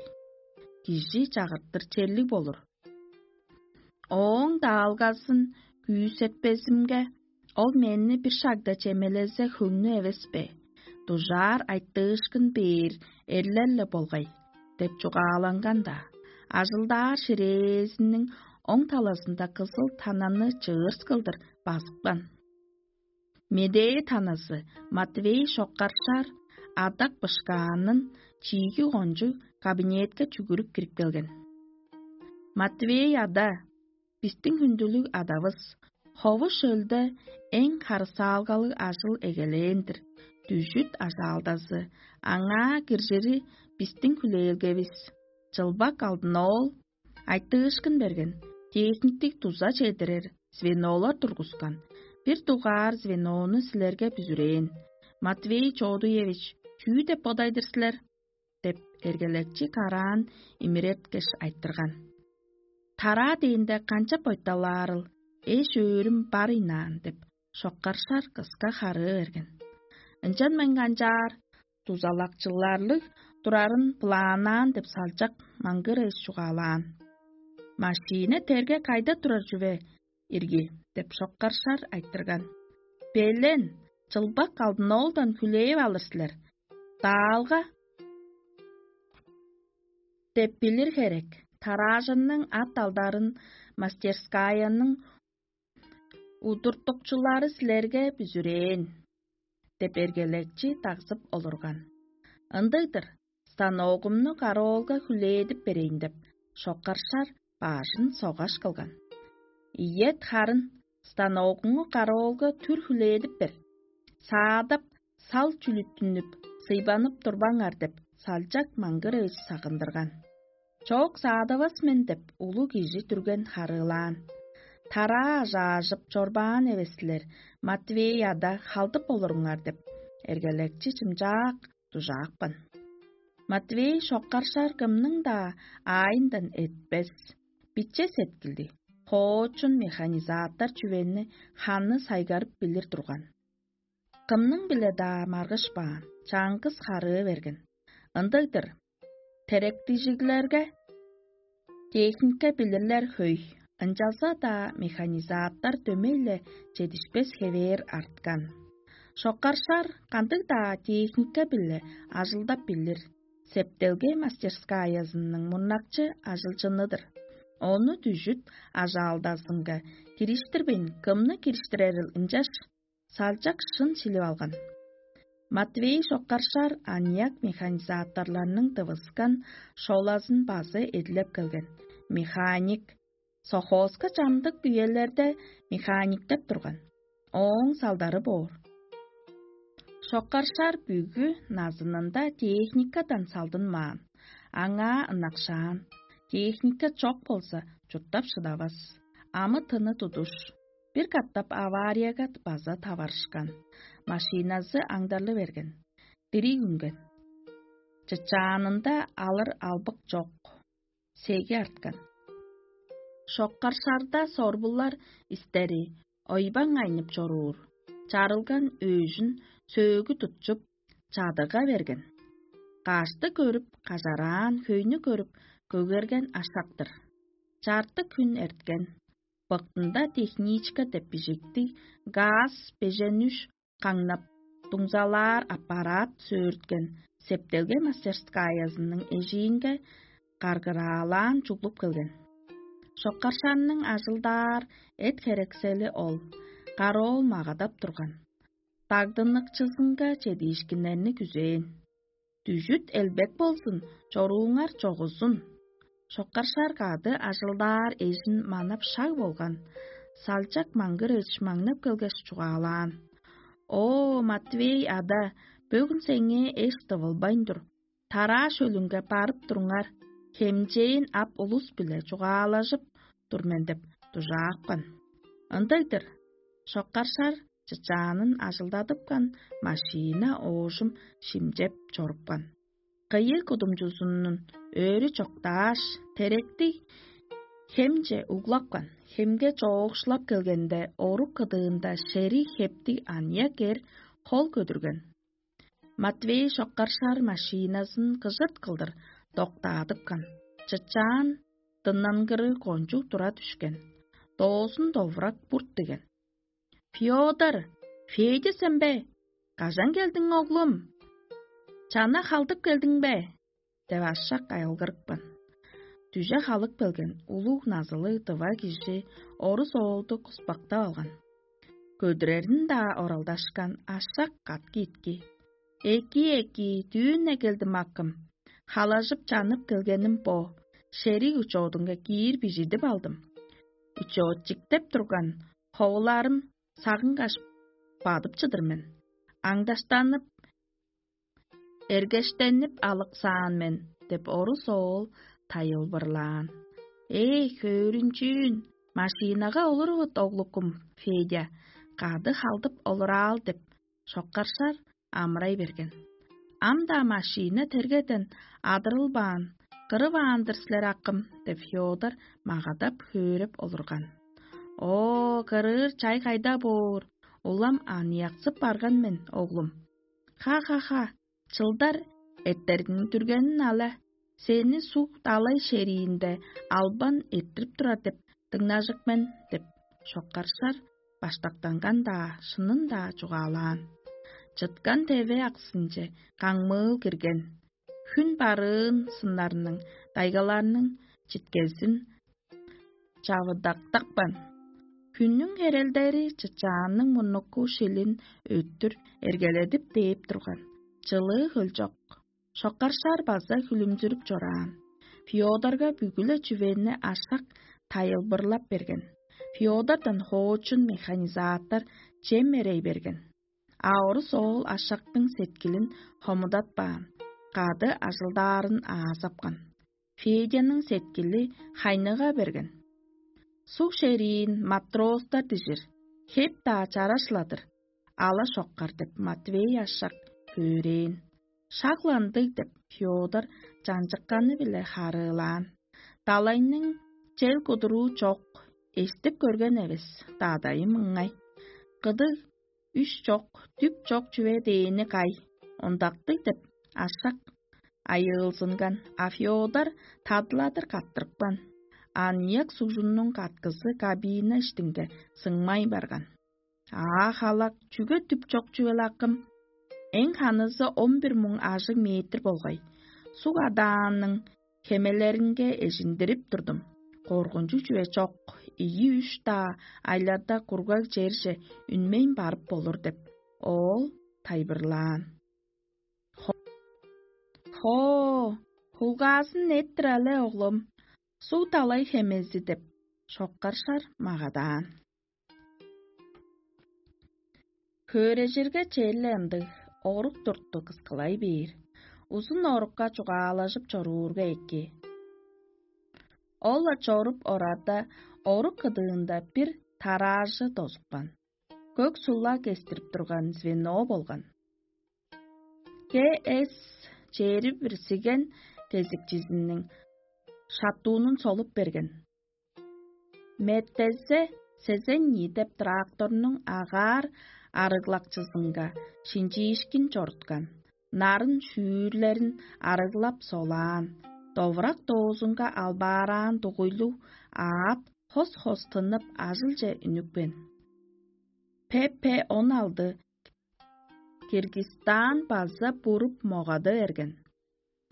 Кижи чагыртыр черлиг болур. Ооң даалгазын күүсетпезимге, ол мени бир шагда чемелезе хөңнү эвес бе? Дужаар айтыышкын бээр эрлер-ле болгай» – деп чугааланган-даа. Ажылдаар ширээзиниң оң талазында кызыл тананы чыырс кылдыр базыпкан. Медээ таназы Матвей шоккаршаар адак бышкаанын чииги кончуг кабинетке чүгүрүп кирип келген. «Матвей ада, бистиң хүндүлүг адавыс, хову шөлде эң харысаалгалыг ажыл эгелээн-дир, дүжүт ажаалдазы, аңаа киржири бистиң хүлээлгевис. Чылбак алдын ол айтыышкын берген, техниктиг дуза чедирер звенолар тургускан. Бир дугаар звенону силерге бүзүрээн. Матвей Чоодуевич, чүү деп бодайдыр силер?» – деп, эргелекчи караан имиреткеш айтырган. «Тараа дээнде канчап ойталаарыл, эш-өөрүм бар ыйнаан» – деп, шоккаршар кыска харыы берген. «Ынчан мен канчаар, дузалакчыларлыг турарын былаанаан» – деп салчак маңгыр эш чугаалаан. «Машина терге кайда турар чүве ирги?» – деп шоккаршар айтырган. «Белен, чылбак алдын оолдан хүлээп алыр силер. Даалга деп билир херек, тараажынның ат алдарын мастерскаяның удуртукчулары силерге бүзүрээн» – деп эргелекчи дагзып олурган. «Ындыг-дыр, станогумну караоолга хүлээдип берейн» – деп, шоккаршар баажын согаш кылган. «Ийет, харын, станогуңну караоолга түр хүлээдип бер. Саадап, сал чүлүттүнүп, сыйбанып турбаңар» – деп, салчак маңгыр эш сагындырган. «Чок, саадавас мен» – деп, улуг кижи дүрген харыылаан. «Тараа ажаажып чорбаан эвес силер, Матвей ада, халдып олуруңар» – деп, эргелекчи чымчаак дужаапкан. Матвей шоккаршар кымның-даа аайындан этпес, биче сеткилди, хоочун механизатор чүвени ханы сайгарып билир турган. Кымның-биле-даа маргышпаан, чаңгыс харыы берген. Ындыг-дыр, теректижиглерге техника билирлер хөй, ынчалза-даа механизатор дөмей-ле чедишпес хевээр арткан. Шоккаршар кандыг-даа техника-биле ажылдап билир, септелге мастерскаязының мурнакчы ажылчыны-дыр. Ону дүжүт ажаалдазынга кириштирбейн, кымны кириштирерил ынчаш салчак шын шилип алган. Матвей шоккаршар аныяк механизаторларның дывыскан шолазын база эдилеп келген. Механик, совхозка чамдык үелерде механиктеп турган. Ооң салдары боор. Шоккаршар бүгү назынында техникадан салдынмаан, аңаа ынакшаан. Техника чок болза, чурттап шыдавас. Амы-тыны тудуш. Бир катап аварияга база таварышкан. Машиназы аңдарлы берген. Дириг үнген. Чычаанында алыр албык чок. Сеги арткан. Шоккаршарда сорбулар истери ойбаң айнып чоруур. Чарылган өөжүн сөөгү тутчуп, чадыга берген. Кашты көрүп, кажараан, хөйнү көрүп, көгерген ашактыр. Чартык хүн эрткен. Быктында техничка деп бижиктиг газ беженүш каңнап, дуңзалаар аппарат сөөрткен септелге мастерскаязының эжиинге каргыраалаан чуглуп келген. Шоккаршанның ажылдаар эт-херексели ол, кароол магадап турган. Дагдыныкчызынга чедиишкиннерни күзээн. Дүжүт элбек болзун, чорууңар чогузун. Шоккаршар кады ажылдаар эжин манап шаг болган, салчак маңгырыч маңнап келгеш чугаалаан: «О, Матвей ада, бөгүн сеңээ эш тывылбайн тур. Тараа шөлүнге барып туруңар, хемчээн ап улус-биле чугаалажып тур мен» деп дужаапкан. Ындыг-дыр, шоккаршар чычаанын ажылдадыпкан, машина оожум шимчеп чорупкан. Кыйыг кудумчузунун өрү чоктааш, теректи хемче углапкан. Хемге чоокшулап келгенде, орук кыдыында шериг хептиг аныяк эр хол көдүрген. Матвей шоккаршар машиназын кыжырт кылдыр доктаадыпкан. Чычаан дыннангыры кончуг тура дүшкен. Доозун довурак бурт деген. «Фёдор, Федя сен бе? Кажан келдиң, оглум? Чана халдып келдиң бе?» — деп ашак айылгырыпкан. Дүже халып келген улуг назылыг тыва кижи орус оолду куспактап алган. Көдүрерин-даа оралдашкан ашак катки итки: «Эки, эки, дүүн-не келдим, акым. Халажып-чанып келгеним бо. Шериг учоодунга киир бижидип алдым. Учоотчиктеп турган ховуларым сагынгаш бадып чыдыр мен. Аңдаштанып, эргештенип алыксаан мен» — деп орус оол тайылбырлаан. «Эй, хөөрүнчүүн, машинага олурувут, оглукум, Федя, кады халдып олураал» — деп, шоккаршар амырай берген. «Ам-даа машина тергеден адырылбаан, кырываан-дыр силер, акым» — деп, Фёдор магадап хөөреп олурган. «О, кырыыр чай кайда боор? Улам аныяксып барган мен, оглум. Ха-ха-ха, чылдар эрттерниң дүргенин ала, сени суг далай шериинде албан эрттирип турар деп дыңнажык мен» — деп, шоккаршар баштактанган-даа, шынын-даа чугаалаан. Чыткан теве аксынче каңмыыл кирген. Хүн барыын сыннарның, дайгаларның читкезин чавыдактапкан. Хүннүң херелдери чычаанның мурнуку шилин өттүр эргеледип дээп турган. Чылыы хөлчок. Шоккаршар база хүлүмзүрүп чораан. Фёдорга бүгү-ле чүвени ашак тайылбырлап берген. Фёдордан хоочун механизатор чем эрей берген. А орус оол ашактың сеткилин хомудатпаан, кады ажылдаарын аазапкан. Федяның сеткили хайныга берген. Суг шериин матростар дижир, хеп-даа чараш-ла-дыр, ала шоккар деп Матвей ашак хөөрээн. Шагландыг деп Феодор чанчыкканы-биле харыылаан. Далайның чел кудуруу чок, эстип көрген эвес, дадайым ыңай. Кыдыг үш чок, түп чок чүве дээни кай, ондактыг деп ашак айыылзынган, а Феодор тадыладыр каттырыпкан. Аныяк сугжуннуң каткызы кабина иштинге сыңмай барган. Аа, халак, чүге түп чок чүвел акым? Эң ханызы он бир муң ажыг метр болгай. Суг адаанның хемелеринге эжиндирип турдум. Коргунчу чүве чок, ийи-үш-даа айларда кургаг черже үнмейн барып болур деп, оол тайбырлаан. Хо, хулгаазын эттир але, оглум, суг далай хемези деп, шоккаршар магадаан. Хөөрежирге черле ындыг орук турту кыскылай бээр. Узун орукка чугаалажып чоруурга эки. Ол-ла чоруп орарда, орук кыдыында бир тараажы дозупкан. Көк сула кестирип турган звено болган. К С чээрби бирсиген кезикчизиниң шаттуунун солуп берген. Меттезе сезен ниидеп тракторнуң агаар арыглакчызынга шинчиишкин чоруткан, нарын шүүрлерин арыглап солаан, довурак доозунга албаараан дугуйлуг аът хос-хос тыннып ажылче үнүпкен. П П он алды Киргизстан база буруп могады берген.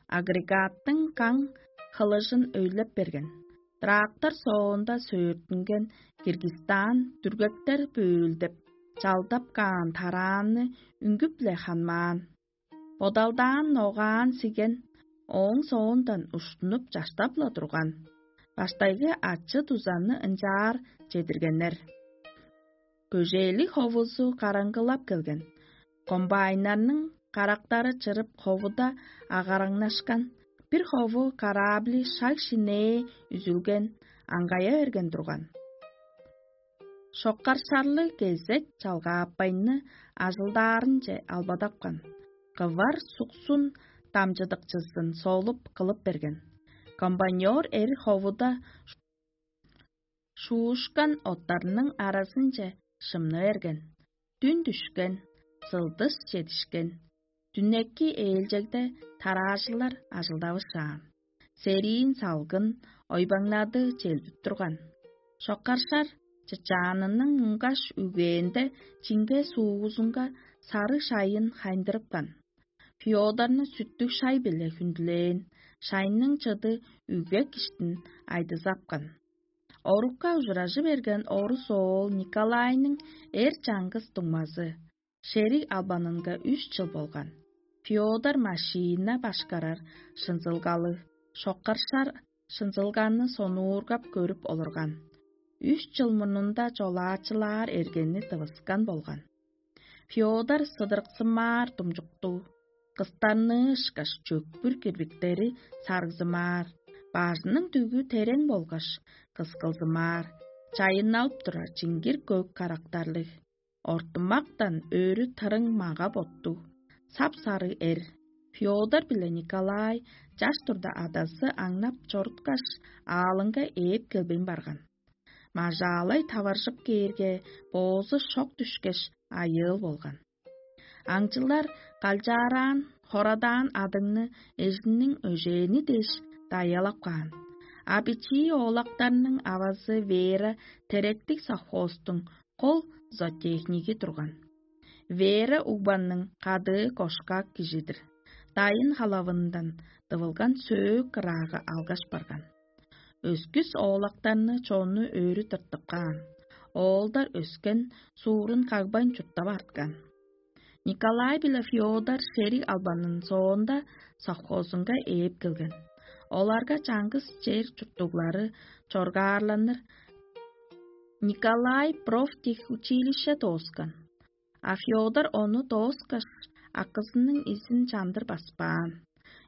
Агрегаттың каң хылыжын өйлеп берген. Трактор соонда сөөртүнген Киргизстан дүргектер бөөлдеп, чалдап каан тараанны үнгүп-ле ханмаан. Бодалдаан ногаан сиген ооң соондан уштунуп чаштап-ла турган. Баштайгы ачы-дузаны ынчаар чедиргеннер. Көжээлиг ховузу караңгылап келген. Комбайннарның карактары чырып, ховуда агараңнашкан. Бир хову караабли шаг-шинээ үзүлген, аңгая берген турган. Шоккаршарлыг кезек чалгаапкайны ажылдаарынче албадапкан. Кывар суксун дамчыдыкчызын солуп кылып берген. Комбайнёр эр ховуда шуушкан оттарның аразынче шымны берген. Дүн дүшкен, сылдыс чедишкен. Дүннеки ээлчегде тараажылар ажылдавышаан. Сериин салгын, ойбаңнады челдип турган. Шоккаршар чычаанының муңгаш үгээнде чиңге суувузунга сарыг шайын хайындырыпкан. Феодорну сүттүг шай-биле хүндүлээн, шайның чыды үгек иштин айдызапкан. Орукка ужуражы берген орус оол Николайның эр чаңгыс дуңмазы, шериг албанынга үш чыл болган. Феодор машиина башкарар шынзылгалыг, шоккаршар шынзылганны сонуургап көрүп олурган. Үш чыл мурнунда чолаачылаар эргени тывыскан болган. Феодор сыдырыксымаар думчуктуг, кыстарныы ышкаш чөкпүр кирбиктери саргзымаар, бажының дүгү терең болгаш кыскылзымаар, чайынналып турар чиңгир көк карактарлыг, ортумактан өрү тырың мага-боттуг, сап-сарыг эр. Феодор биле Николай чаш турда адазы аңнап чоруткаш, аалынга ээп келбейн барган. Мажаалай таваржып кээрге, боозу шок дүшкеш, айыыл болган. Аңчылар калчаараан, хорадаан адыңны эжиниң өжээни дээш дайалап каан. А бичии оолактарның авазы Вера теректиг совхозтуң кол зоотехниги турган. Вера угбанның кадыы кошкак кижидир. Дайын халавындан дывылган сөөк ыраагы алгаш барган. Өскүс оолактарны чонну өрү тыртып каан. Оолдар өскен суурун кагбайн чурттап арткан. Николай биле Феодор шериг албанын соонда совхозунга ээп келген. Оларга чаңгыс чер чурттуглары чоргаарланыр. Николай профтехучилище дооскан. А Феодор ону дооскаш, акызының изин чандыр баспаан.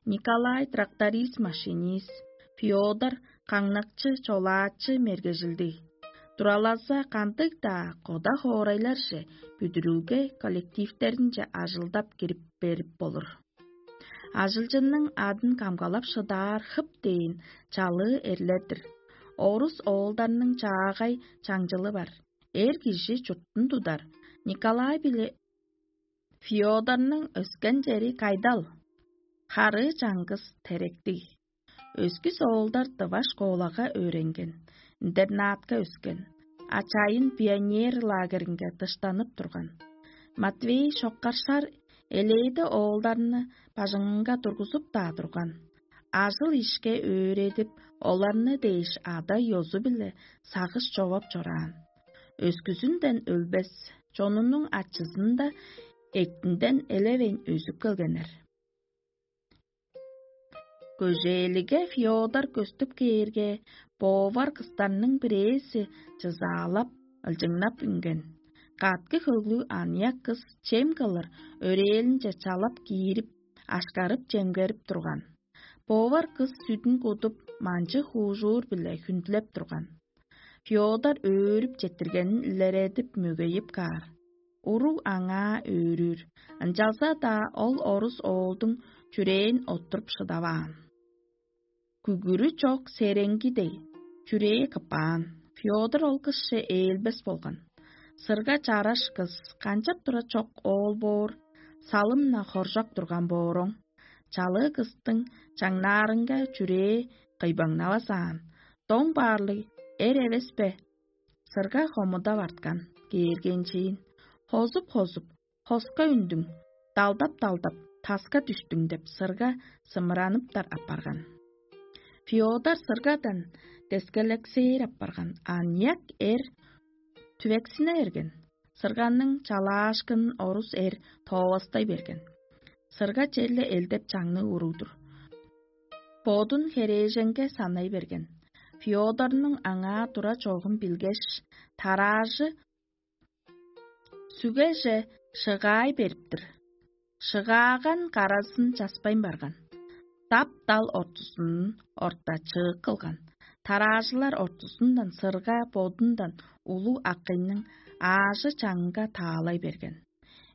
Николай тракторист-машинист, Феодор каңнакчы-чолаачы мергежилдиг. Туралаза кандыг-даа кода хоорайларже, бүдүрүлге коллективтеринче ажылдап кирип берип болур. Ажылчынның адын камгалап шыдаар хып дээн чалыы эрлер-дир. Орус оолдарның чаагай чаңчылы бар. Эр кижи чурттун тудар. Николай биле Феодорнуң өскен чери кайдал? Харыы чаңгыс теректиг. Өскүс оолдар дыва школага өөренген, интернатка өскен, а чайын пионер лагеринге дыштанып турган. Матвей шоккаршар элээди оолдарны бажыңынга тургузуп-даа турган. Ажыл-ишке өөредип, оларны дээш ада ёзу-биле сагыш човап чораан. Өскүзүнден өлбес, чонунуң ачызында эктинден элевейн өзүп келгеннер. Көжээлиге Феодор көстүп кээрге, повар кыстарның бирээзи чызаалап, ылчыңнап үнген. Каткы хөглүг аныяк кыс чем кылыр өрээлинче чалап киирип, ашкарып чемгерип турган. Повар кыс сүдүн кудуп, манчы хуужуур-биле хүндүлеп турган. Феодор өөрүп четтиргенин илередип мөгейип каар. Уруг аңаа өөрүүр, ынчалза-даа ол орус оолдуң чүрээн оттуруп шыдаваан. Күгүрү чок сереңги дег, чүрээ кыпаан. Феодор ол кышче ээлбес болган. Сырга чараш кыс канчап тура чок оол боор, салым-на хоржок турган бооруң. Чалыы кыстың чаңнаарынга чүрээ кыйбаңнавас аан. Доң баарлыг эр эвес бе? Сырга хомудап арткан, кээргенчээн. Хозуп-хозуп, хоска үндүң, далдап-далдап, таска дүстүң деп сырга сымыраныптар апарган. Феодор сыргадан дескелексээр апарган аныяк эр түвексине берген. Сырганның чалаашкынын орус эр тоовастай берген. Сырга черле элдеп чаңныг уруг-дур. Бодун херээженге санай берген. Феодорнуң аңаа тура чогун билгеш, тараажы сүгеже шыгаай берип-тир. Шыгааган каразын часпайн барган. Дап-дал ортузунун орта чыык кылган. Тараажылар ортузундан сырга бодундан улуг акыйның аажы чаңынга таалай берген.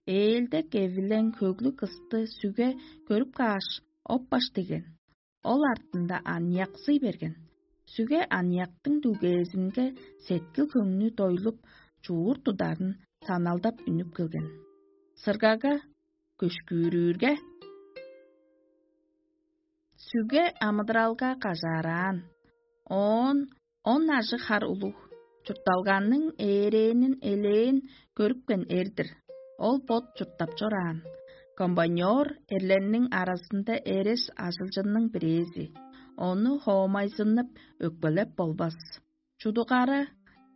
Ээлдек эвилең хөглүг кысты сүге көрүп кааш, оппаш деген. Ол артында аныяксый берген. Сүге аныяктың дүгезинге сеткил-хөңнү дойлуп, чуур тударын саналдап үнүп келген. Сыргага көшкүүрүүрге, сүге амыдыралга кажаараан. Оон он ажыг хар улуг чуртталганның ээрээнин элээн көрүпкен эр-дир. Ол бот чурттап чораан. Комбайнёр эрлерниң аразында эрес ажылчынның бирээзи. Ону хоомайзыннып, өкпелеп болбас. Чудугара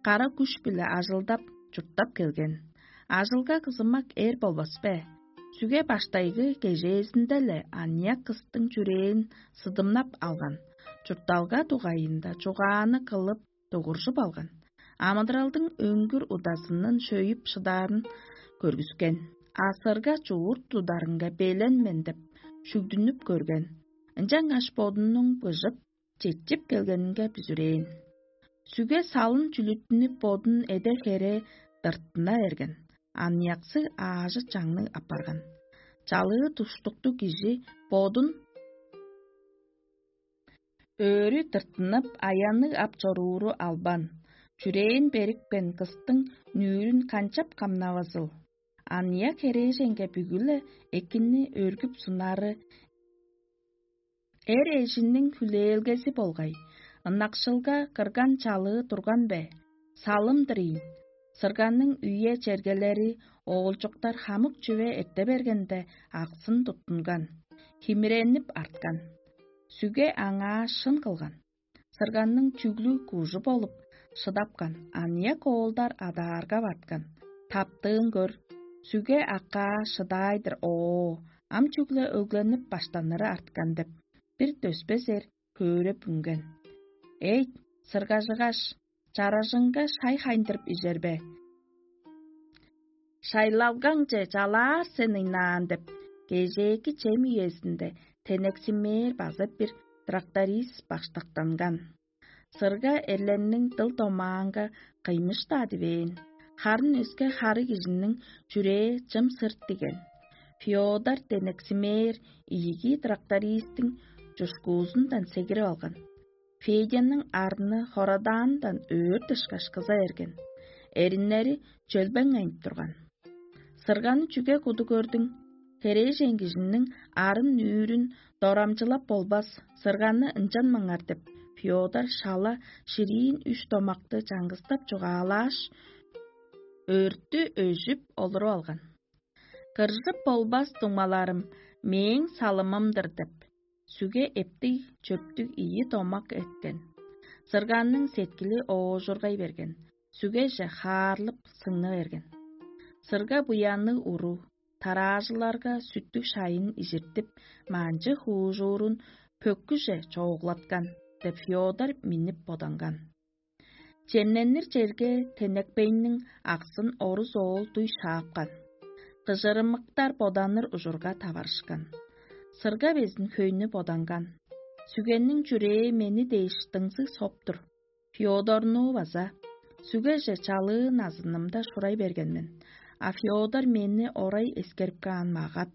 кара күш-биле ажылдап, чурттап келген. Ажылга кызымак эр болбас бе? Сүге баштайгы кежээзинде-ле аныяк кыстың чүрээн сыдымнап алган, чуртталга дугайында чугааны кылып, дугуржуп алган. Амыдыралдың өңгүр удазындан шөйүп шыдаарын көргүскен. Асырга чуурт тударынга белен мен деп шүгдүнүп көрген. Ынчангаш бодунуң быжып, четчип келгенинге бүзүрээн. Сүге салын чүлүттүнүп, бодун эде-хере дыртына берген. Аныяксы аажы чаңныг апарган. Чалыы туштуктуг кижи бодун өрү тыртынып, аянныг ап чорууру албан, чүрээн берипкен кыстың нүүрүн канчап камнавазыл? Аныяк херээженге бүгү-ле экини өргүп сунары эр эжиниң хүлээлгези болгай, ынакшылга кырган чалыы турган бе? Салым-дыр ийин. Сырганның үе-чергелери оолчуктар хамык чүве эрте бергенде аксын туттунган, химиренип арткан. Сүге аңаа шын кылган. Сырганның чүглү кужу болуп шыдапкан, аныяк оолдар адаарга баткан. Таптыын көр, сүге аккаа шыдаай-дыр оо, ам чүгле өгленип баштаныры арткан деп, бир дөспес эр көөреп үнген. Эйт, сыргажыгаш, чаражыңга шай хайындырып ижер бе? Шайлалгаңче чалаар сен ыйнаан деп, кежээки чем үезинде тенексимээр база бир тракторист баштактанган. Сырга эрлерниң дыл-домаанга кыймыш-даа дивээн, харын өске хары кижиниң чүрээ чым сырт диген. Феодор денексимээр ийиги трактористтиң чушкуузундан сегирип алган. Федяның арны хорадаандан өөр дышкаш кыза эрген. Эриннери чөлбең айнып турган. Сырганы чүге куду көрдүң? Херээжен кижиниң арын-нүүрүн дорамчылап болбас, сырганы ынчанмаңар деп, Феодор шала шириин үш домакты чаңгыстап чугаалааш, өрттү өжүп олуруп алган. Кыржып болбас дуңмаларым мээң салымым-дыр деп, сүге эптиг чөптүг ийи домак эткен. Сырганның сеткили оожургай берген, сүгеже хаарлып сыңны берген. Сырга буянныг уру, тараажыларга сүттүг шайын ижиртип, манчы хуужуурун пөккүже чооглаткан деп Феодор миннип боданган. Чемненир черге тенекпейниң аксын орус оол дуй шаапкан. Кыжырымыктар боданыр ужурга таварышкан. Сырга безин хөйнү боданган. Сүгенниң чүрээ мени дээш дыңзыг соп-тур. Феодорну база сүгеже чалыы назынымда шурай берген мен, а Феодор мени орай эскерип каан магап,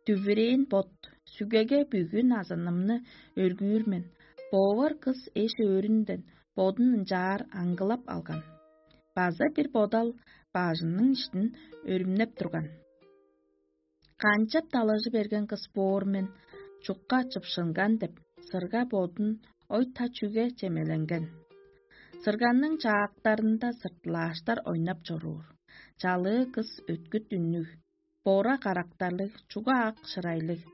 дүвүрээн бот, сүгеге бүгү назынымны өргүүр мен. Повар кыс эш-өөрүнден бодун ынчаар аңгылап алган. База бир бодал бажының иштин өрүмнеп турган. Канчап далажы берген кыс боор мен, чукка чыпшынган деп, сырга бодун ой-та чүге чемеленген. Сырганның чаактарында сыртылааштар ойнап чоруур. Чалыы кыс өткүт үннүг, бора карактарлыг, чуга ак шырайлыг,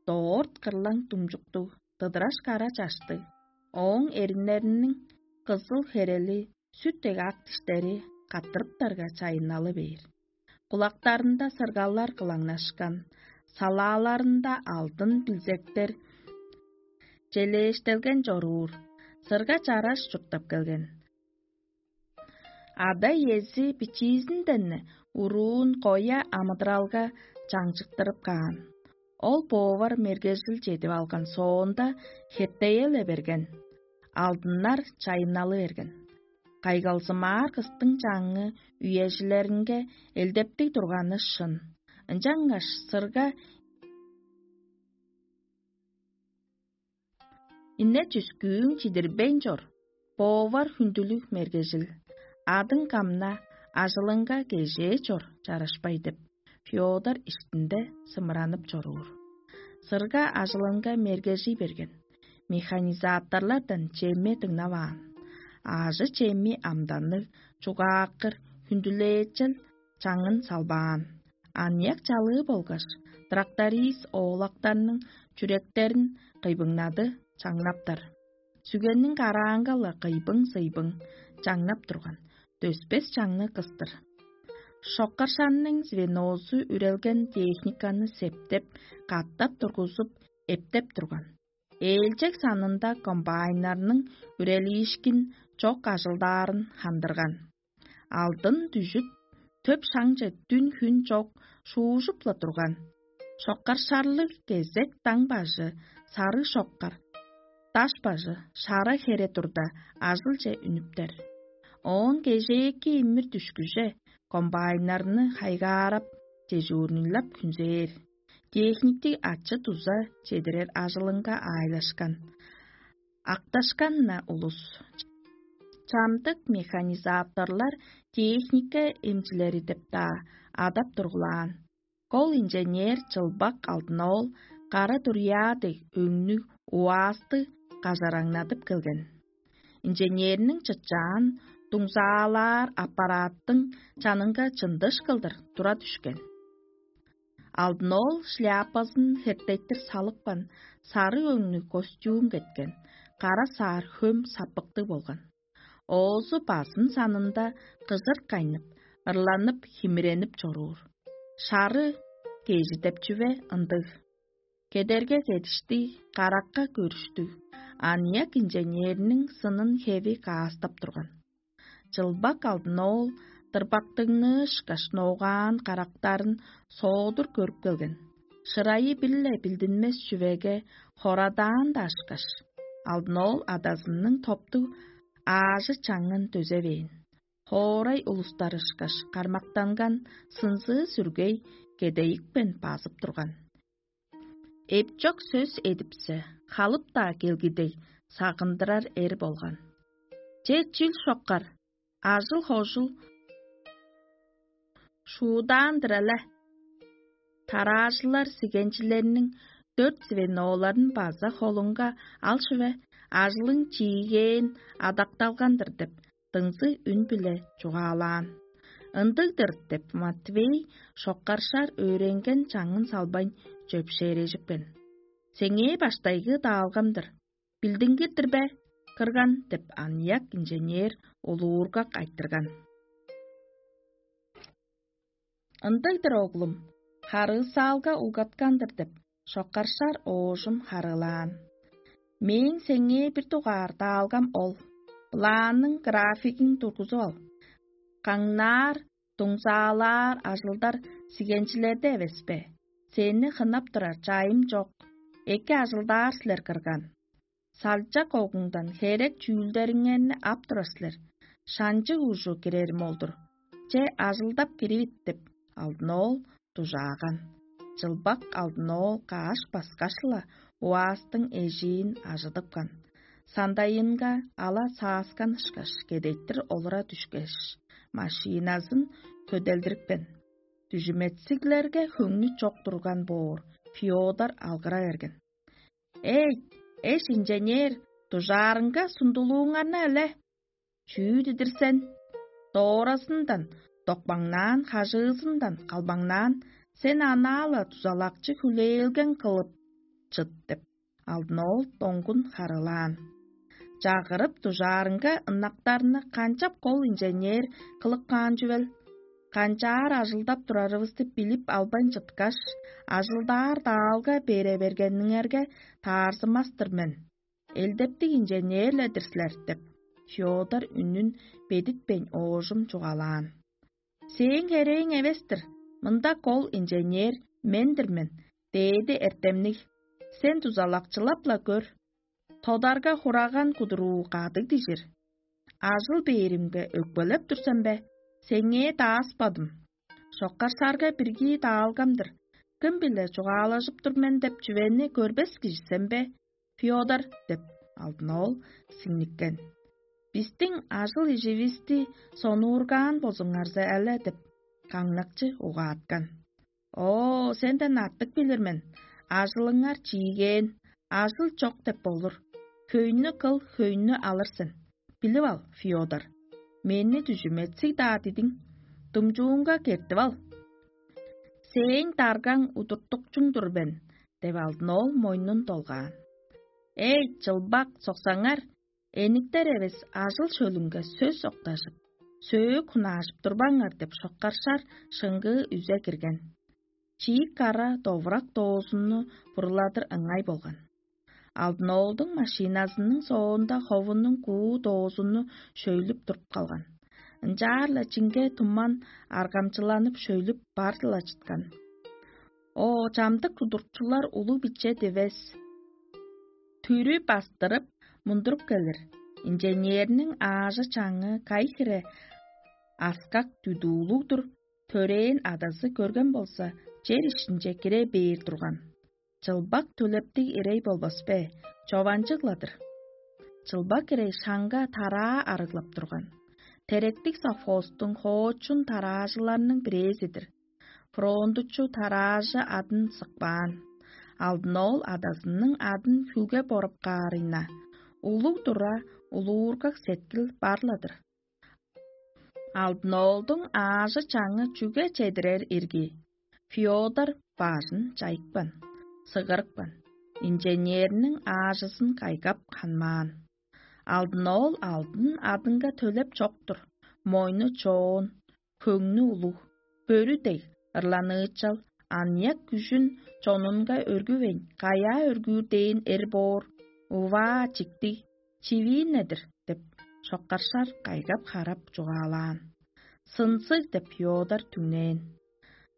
доорт кырлаң думчуктуг, дыдыраш кара чаштыг. Ооң эриннериниң кызыл херели, сүт дег ак диштери каттырыптарга чайынналы бээр. Кулактарында сыргалар кылаңнашкан, салааларында алдын билзектер челээштелген чоруур, сырга чараш чурттап келген. Ада-иези бичиизинден уруун коя амыдыралга чаңчыктырып каан. Ол боовар мергежил чедип алган соонда, хептеел эберген, алдыннар чайынналы берген. Кайгалзымаар кыстың чаңы үежилеринге элдептиг турганы шын. Ынчангаш сырга инне чүскүүң чидирбейн чор, боовар хүндүлүг мергежил, адың камна, ажылыңга кежээ чор чарашпай деп, Феодор иштинде сымыранып чоруур. Сырга ажылынга мергежий берген. Механизаторлардан чемме дыңнаваан. Аажы-чемми амданныг, чугааккыр, хүндүлээчел чаңын салбаан. Аныяк чалыы болгаш, тракторист оолактарның чүректерин кыйбыңнады чаңнаптар. Сүгенниң караанга-ла кыйбың-сыйбың чаңнап турган, дөспес чаңны кыстыр. Шоккаршанның звенозу үрелген техниканы септеп, катап тургузуп, эптеп турган. Ээлчек санында комбайннарның үрелиишкин чок ажылдаарын хандырган. Алдын дүжүп, төп шаңче дүн-хүн чок шуужуп-ла турган. Шоккар шарлыг кезек даң бажы, сарыг шоккар, даш бажы, шара хере турда, ажылче үнүптер. Оон кежээки имир дүшкүже комбайннарны хайгаарап, дежурныйлап хүнзээр. Техниктиг ачы-дуза чедирер ажылынга аайлашкан. Акташкан-на улус. Чамдык механизаторлар техника эмчилери деп-даа адап тургулаан. Кол инженер чылбак алдын ол кара дурья дег өңнүг УАЗ-ты кажараңнадып келген. Инженерниң чытчаан дуңзаалаар аппараттың чанынга чындыш кылдыр тура дүшкен. Алдын ол шляпазын хертеттир салыпкан, сары өңнүг костюм кеткен, кара саар хөм саппыктыг болган. Оозу базын санында кыжыр кайнып, ырланып, химиренип чоруур. Шары кежи деп чүве ындыг. Кедерге кедиштиг, каракка көрүштүг, аныяк инженерниң сынын хеви каастап турган. Чылбак алдын ол дырбактыгны ышкаш ноогаан карактарын соодур көрүп келген. Шырайы бир-ле билдинмес чүвеге хорадаан-даа ышкаш, алдын ол адазының топтуг аажы чаңын дөзевээн. Хоорай улустар ышкаш кармактанган сынзыы-сүргей кедейикпен базып турган. Эпчок сөс эдипсе, халып-даа келгидей сагындырар эр болган. Че чүл шоккар, ажыл-хожул шуудаан-дыр але. Тараажылар сигенчилерниң дөрт звеноларын база холунга ал чүве, ажылың чиигээн адакталган-дыр деп, дыңзыг үн-биле чугаалаан. Ындыг-дыр деп, Матвей шоккаршар өөренген чаңын салбайн чөпшээрежипкен. Сеңээ баштайгы даалгам-дыр. Билдингир-дир бе, кырган деп, аныяк инженер улуургак айтырган. Ындыг-дыр, оглум, харыысаалга улгаткан-дыр деп, шоккаршар оожум харыылаан. Мээң сеңээ бир дугаар даалгам ол: планның графигин тургузуп ал. Каңнаар, дуңзаалаар ажылдар сигенчилерде эвес бе? Сени хынап турар чайым чок. Эки ажылдаар силер, кырган. Салчак огуңдан херек чүүлдериңерни ап турар силер. Шанчы ужу кирерим ол-дур. Че, ажылдап киривит деп, алдын ол дужааган. Чылбак алдын ол кааш баскаш-ла, уаастың эжиин ажыдыпкан. Сандайынга ала сааскан ышкаш, кедейтир олура дүшкеш, машиназын көделдирипкен. Дүжүметсиглерге хөңнү чок турган боор, Феодор алгыра берген: «Эй, эш инженер, дужаарынга сундулууңарны але! Чүү дидир сен? Дооразындан, докпаңнаан, хажыызындан калбаңнаан, сен анаа-ла дузалакчы хүлээлген кылып чыт» деп, алдын ол доңгун харыылаан. Чагырып дужаарынга ынактарны канчап кол инженер кылып каан чүвел? Канчаар ажылдап турарывысты билип албайн чыткаш, ажылдаар даалга бере бергениңерге таарзымас-тыр мен. Элдептиг инженер-ле-дир силер деп, Феодор үнүн бедитпейн оожум чугаалаан. Сээң херээң эвес-тир, мында кол инженер мен-дир мен, дээди эртемниг. Сен дузалакчылап-ла көр. Тодарга хураган кудуруу кадыг дижир. Ажыл бээримге өкпелеп тур сен бе? Сеңээ дааспадым. Шоккарсарга бирги даалгам-дыр. Кым-биле чугаалажып тур мен деп чүвени көрбес кижи сен бе, Феодор? Деп, алдын ол сиңниккен. Бистиң ажыл-иживисти сонуургаан болзуңарза эле деп, каңнакчы угааткан. О, сенден артык билир мен. Ажылыңар чиигээн, ажыл чок деп болур. Хөйнү кыл, хөйнү алыр сен. Билип ал, Феодор. Мени дүжүметсиг-даа дидиң. Думчуунга кертип ал. Сээң даргаң удуртукчуң-дур мен, деп алдын ол мойнун долгаан. Эй, чылбак, соксаңар, эниктер эвес ажыл шөлүнге сөс октажып, сөөк хунаажып турбаңар деп шоккаршар шыңгыы үзе кирген. Чиик кара довурак доозунну буруладыр ыңай болган. Алдын оолдуң машиназының соонда ховунуң куу доозунну шөйлүп туруп калган. Ынчаар-ла чиңге туман аргамчыланып шөйлүп бар-ла чыткан. О, чамдык удуртчулар улуг биче дивес. Түрү бастырып, мундуруп келир. Инженерниң аажы-чаңы кай хире аскак дүдүүлүг-дүр, төрээн адазы көрген болза, чер иштинче кире бээр турган. Чылбак төлептиг ирей болбас бе, чованчыг-ла-дыр. Чылбак ирей шаңга тараа арыглап турган. Теректиг совхозтуң хоочун тараажыларының бирээзи-дир. Фрондучу тараажы адын сыкпаан. Алдын ол адазының адын хүлге боруп каарыйна, улуг тура, улуургак сеткил бар-ла-дыр. Алдын оолдуң аажы-чаңы чүге чедирер ирги? Феодор бажын чайыпкан, сыгырыпкан, инженерниң аажызын кайгап ханмаан. Алдын ол алдын адынга төлеп чок-тур, мойну чоон, хөңнү улуг, бөрү дег ырланыычал, аныяк күжүн чонунга өргүвейн, каяа өргүүр дээн эр боор, уваа, чиктиг, чивиин-не-дир деп, шоккаршар кайгап-харап чугаалаан. Сынзыг деп ёодар түңнээн.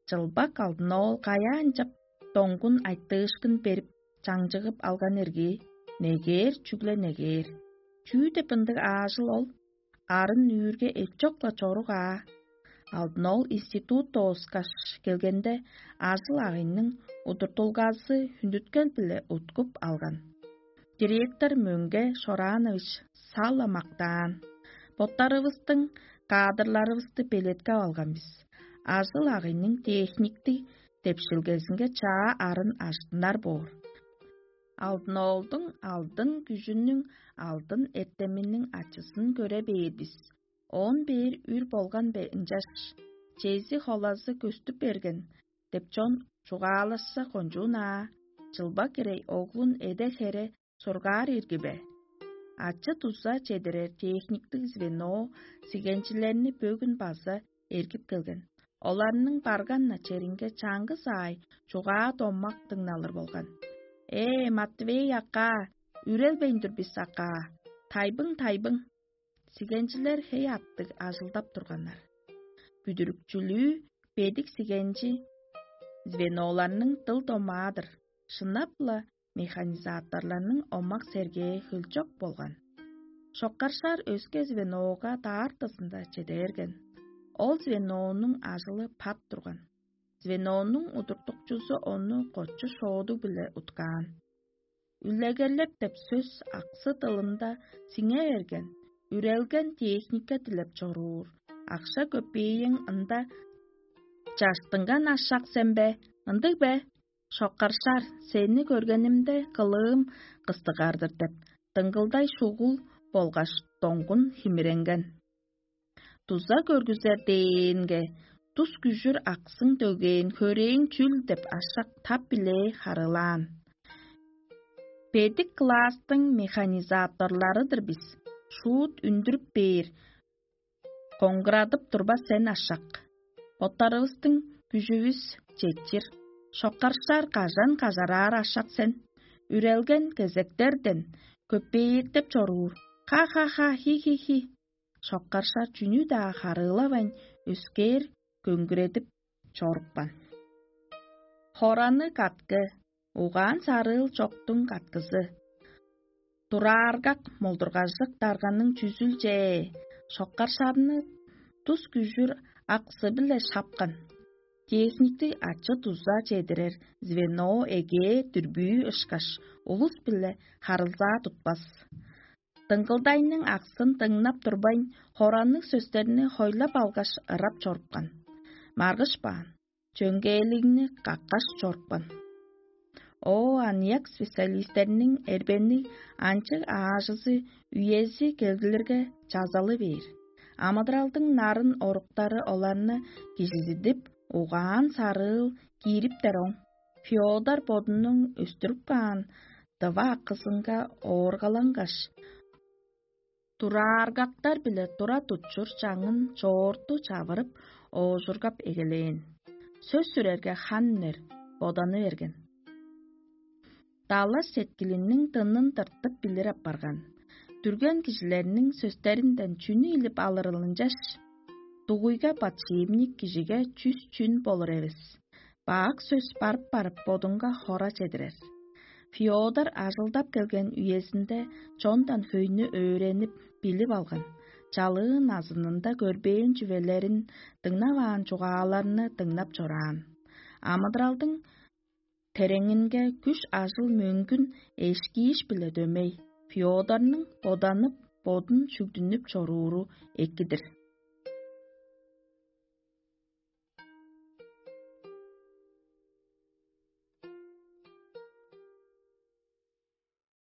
Чылбак алдын ол каяа ынчап доңгун айтыышкын берип, чаңчыгып алган эргии, негээр чүгле негээр. Чүү деп ындыг аажыл ол? Арын үүрге эчок-ла чорук аа. Алдын ол институт дооскаш келгенде, ажыл-агыйның удуртулгазы хүндүткел-биле уткуп алган. Директор Мөңге Шораанович сала мактаан: «Боттарывыстың кадрларывысты белеткеп алган бис. Ажыл-агыйның техниктиг депшилгезинге чаа арын ажыттынар боор. Алдын оолдуң алдын күжүнүң, алдын эртеминиң ачызын көре бээр бис. Оон бээр үр болган бе ынчаш? Чези холазы көстүп берген» — деп чон чугаалашса кончуун аа, чылба кирей оглун эде-хере сургаар ирги бе? Ачы-дуза чедирер техниктиг звено сигенчилерни бөгүн база эргип келген. Оларның барган-на черинге чаңгыс аай чугаа домак дыңналыр болган. «Ээ, Матвей акаа, үрелбейн тур бис акаа. Тайбың, тайбың!» Сигенчилер хей аттыг ажылдап турганнар. Бүдүрүкчүлүү бедик сигенчи звеноларның дыл домаа-дыр. Шынап-ла, механизаторларның омак-сергээ хөлчок болган. Шоккаршаар өске звенога даартызында чеде берген. Ол звенонуң ажылы пат турган. Звенонуң удуртукчузу ону кочу шоодуг-биле уткаан. Үлегерлеп деп сөс аксы дылында сиңе берген, үрелген техника дилеп чоруур. Акша көпээйиң ында чаштынган ашак сен бе? Ындыг бе? Шоккаршаар, сени көргенимде кылыым кыстыгар-дыр деп, дыңгылдай шугул болгаш доңгун химиренген. Дуза көргүзер дээнге, тус күжүр аксың дөгээн хөрээң чүл деп ашак тап-билээ харыылаан. Бедик класстың механизаторлары-дыр бис, шуут үндүрүп бээр, коңгурадып турба сен ашак. Боттарывыстың күжүвүс четчир. Шоккаршаар кажан кажараар ашак сен. Үрелген кезектерден көппээртеп чоруур. Ха-ха-ха, хи-хи-хи. Шоккаршаар чүнү-даа харыылавайн, өскээр көңгүредип чорупкан. Хораны каткы, угаан сарыыл чоктуң каткызы. Турааргак молдургажык дарганның чүзүлчээ, шоккаршарны тус күжүр аксы-биле шапкан. Техниктиг ачы-дуза чедирер звено эгээ дүрбүү ышкаш, улус-биле харылзаа тутпас. Дыңгылдайның аксын дыңнап турбайн, хоранныг сөстерни хойлап алгаш, ырап чорупкан. Маргыш баан, чөңгээлигни каккаш чорупкан. О, аныяк специалистерниң эрбенниг анчыг аажызы үези келгилерге чазалы бээр. Амыдыралдың нарын оруктары оларны кижизидип, угаан сарыыл киириптер оң. Феодор бодунуң өстүрүп каан дыва акызынга ооргалангаш, турааргактар-биле тура тутчур чаңын чоорту чавырып, оожургап эгелээн. Сөс сүрерге хан үнер, боданы берген. Далаш сеткилиниң дынын тыртып билир апарган. Дүрген кижилерниң сөстеринден чүнү илип алырыл ынчаш? Дугуйга подшипник кижиге чүс чүн болур эвес. Бак сөс барып-барып бодунга хора чедирер. Феодор ажылдап келген үезинде чондан хөйнү өөренип, билип алган. Чалыы назынында көрбээн чүвелерин, дыңнаваан чугааларны дыңнап чораан. Амыдыралдың тереңинге күш-ажыл мөңгүн эшкииш-биле дөмей, Феодорнуң боданып, бодун чүгдүнүп чорууру эки-дир.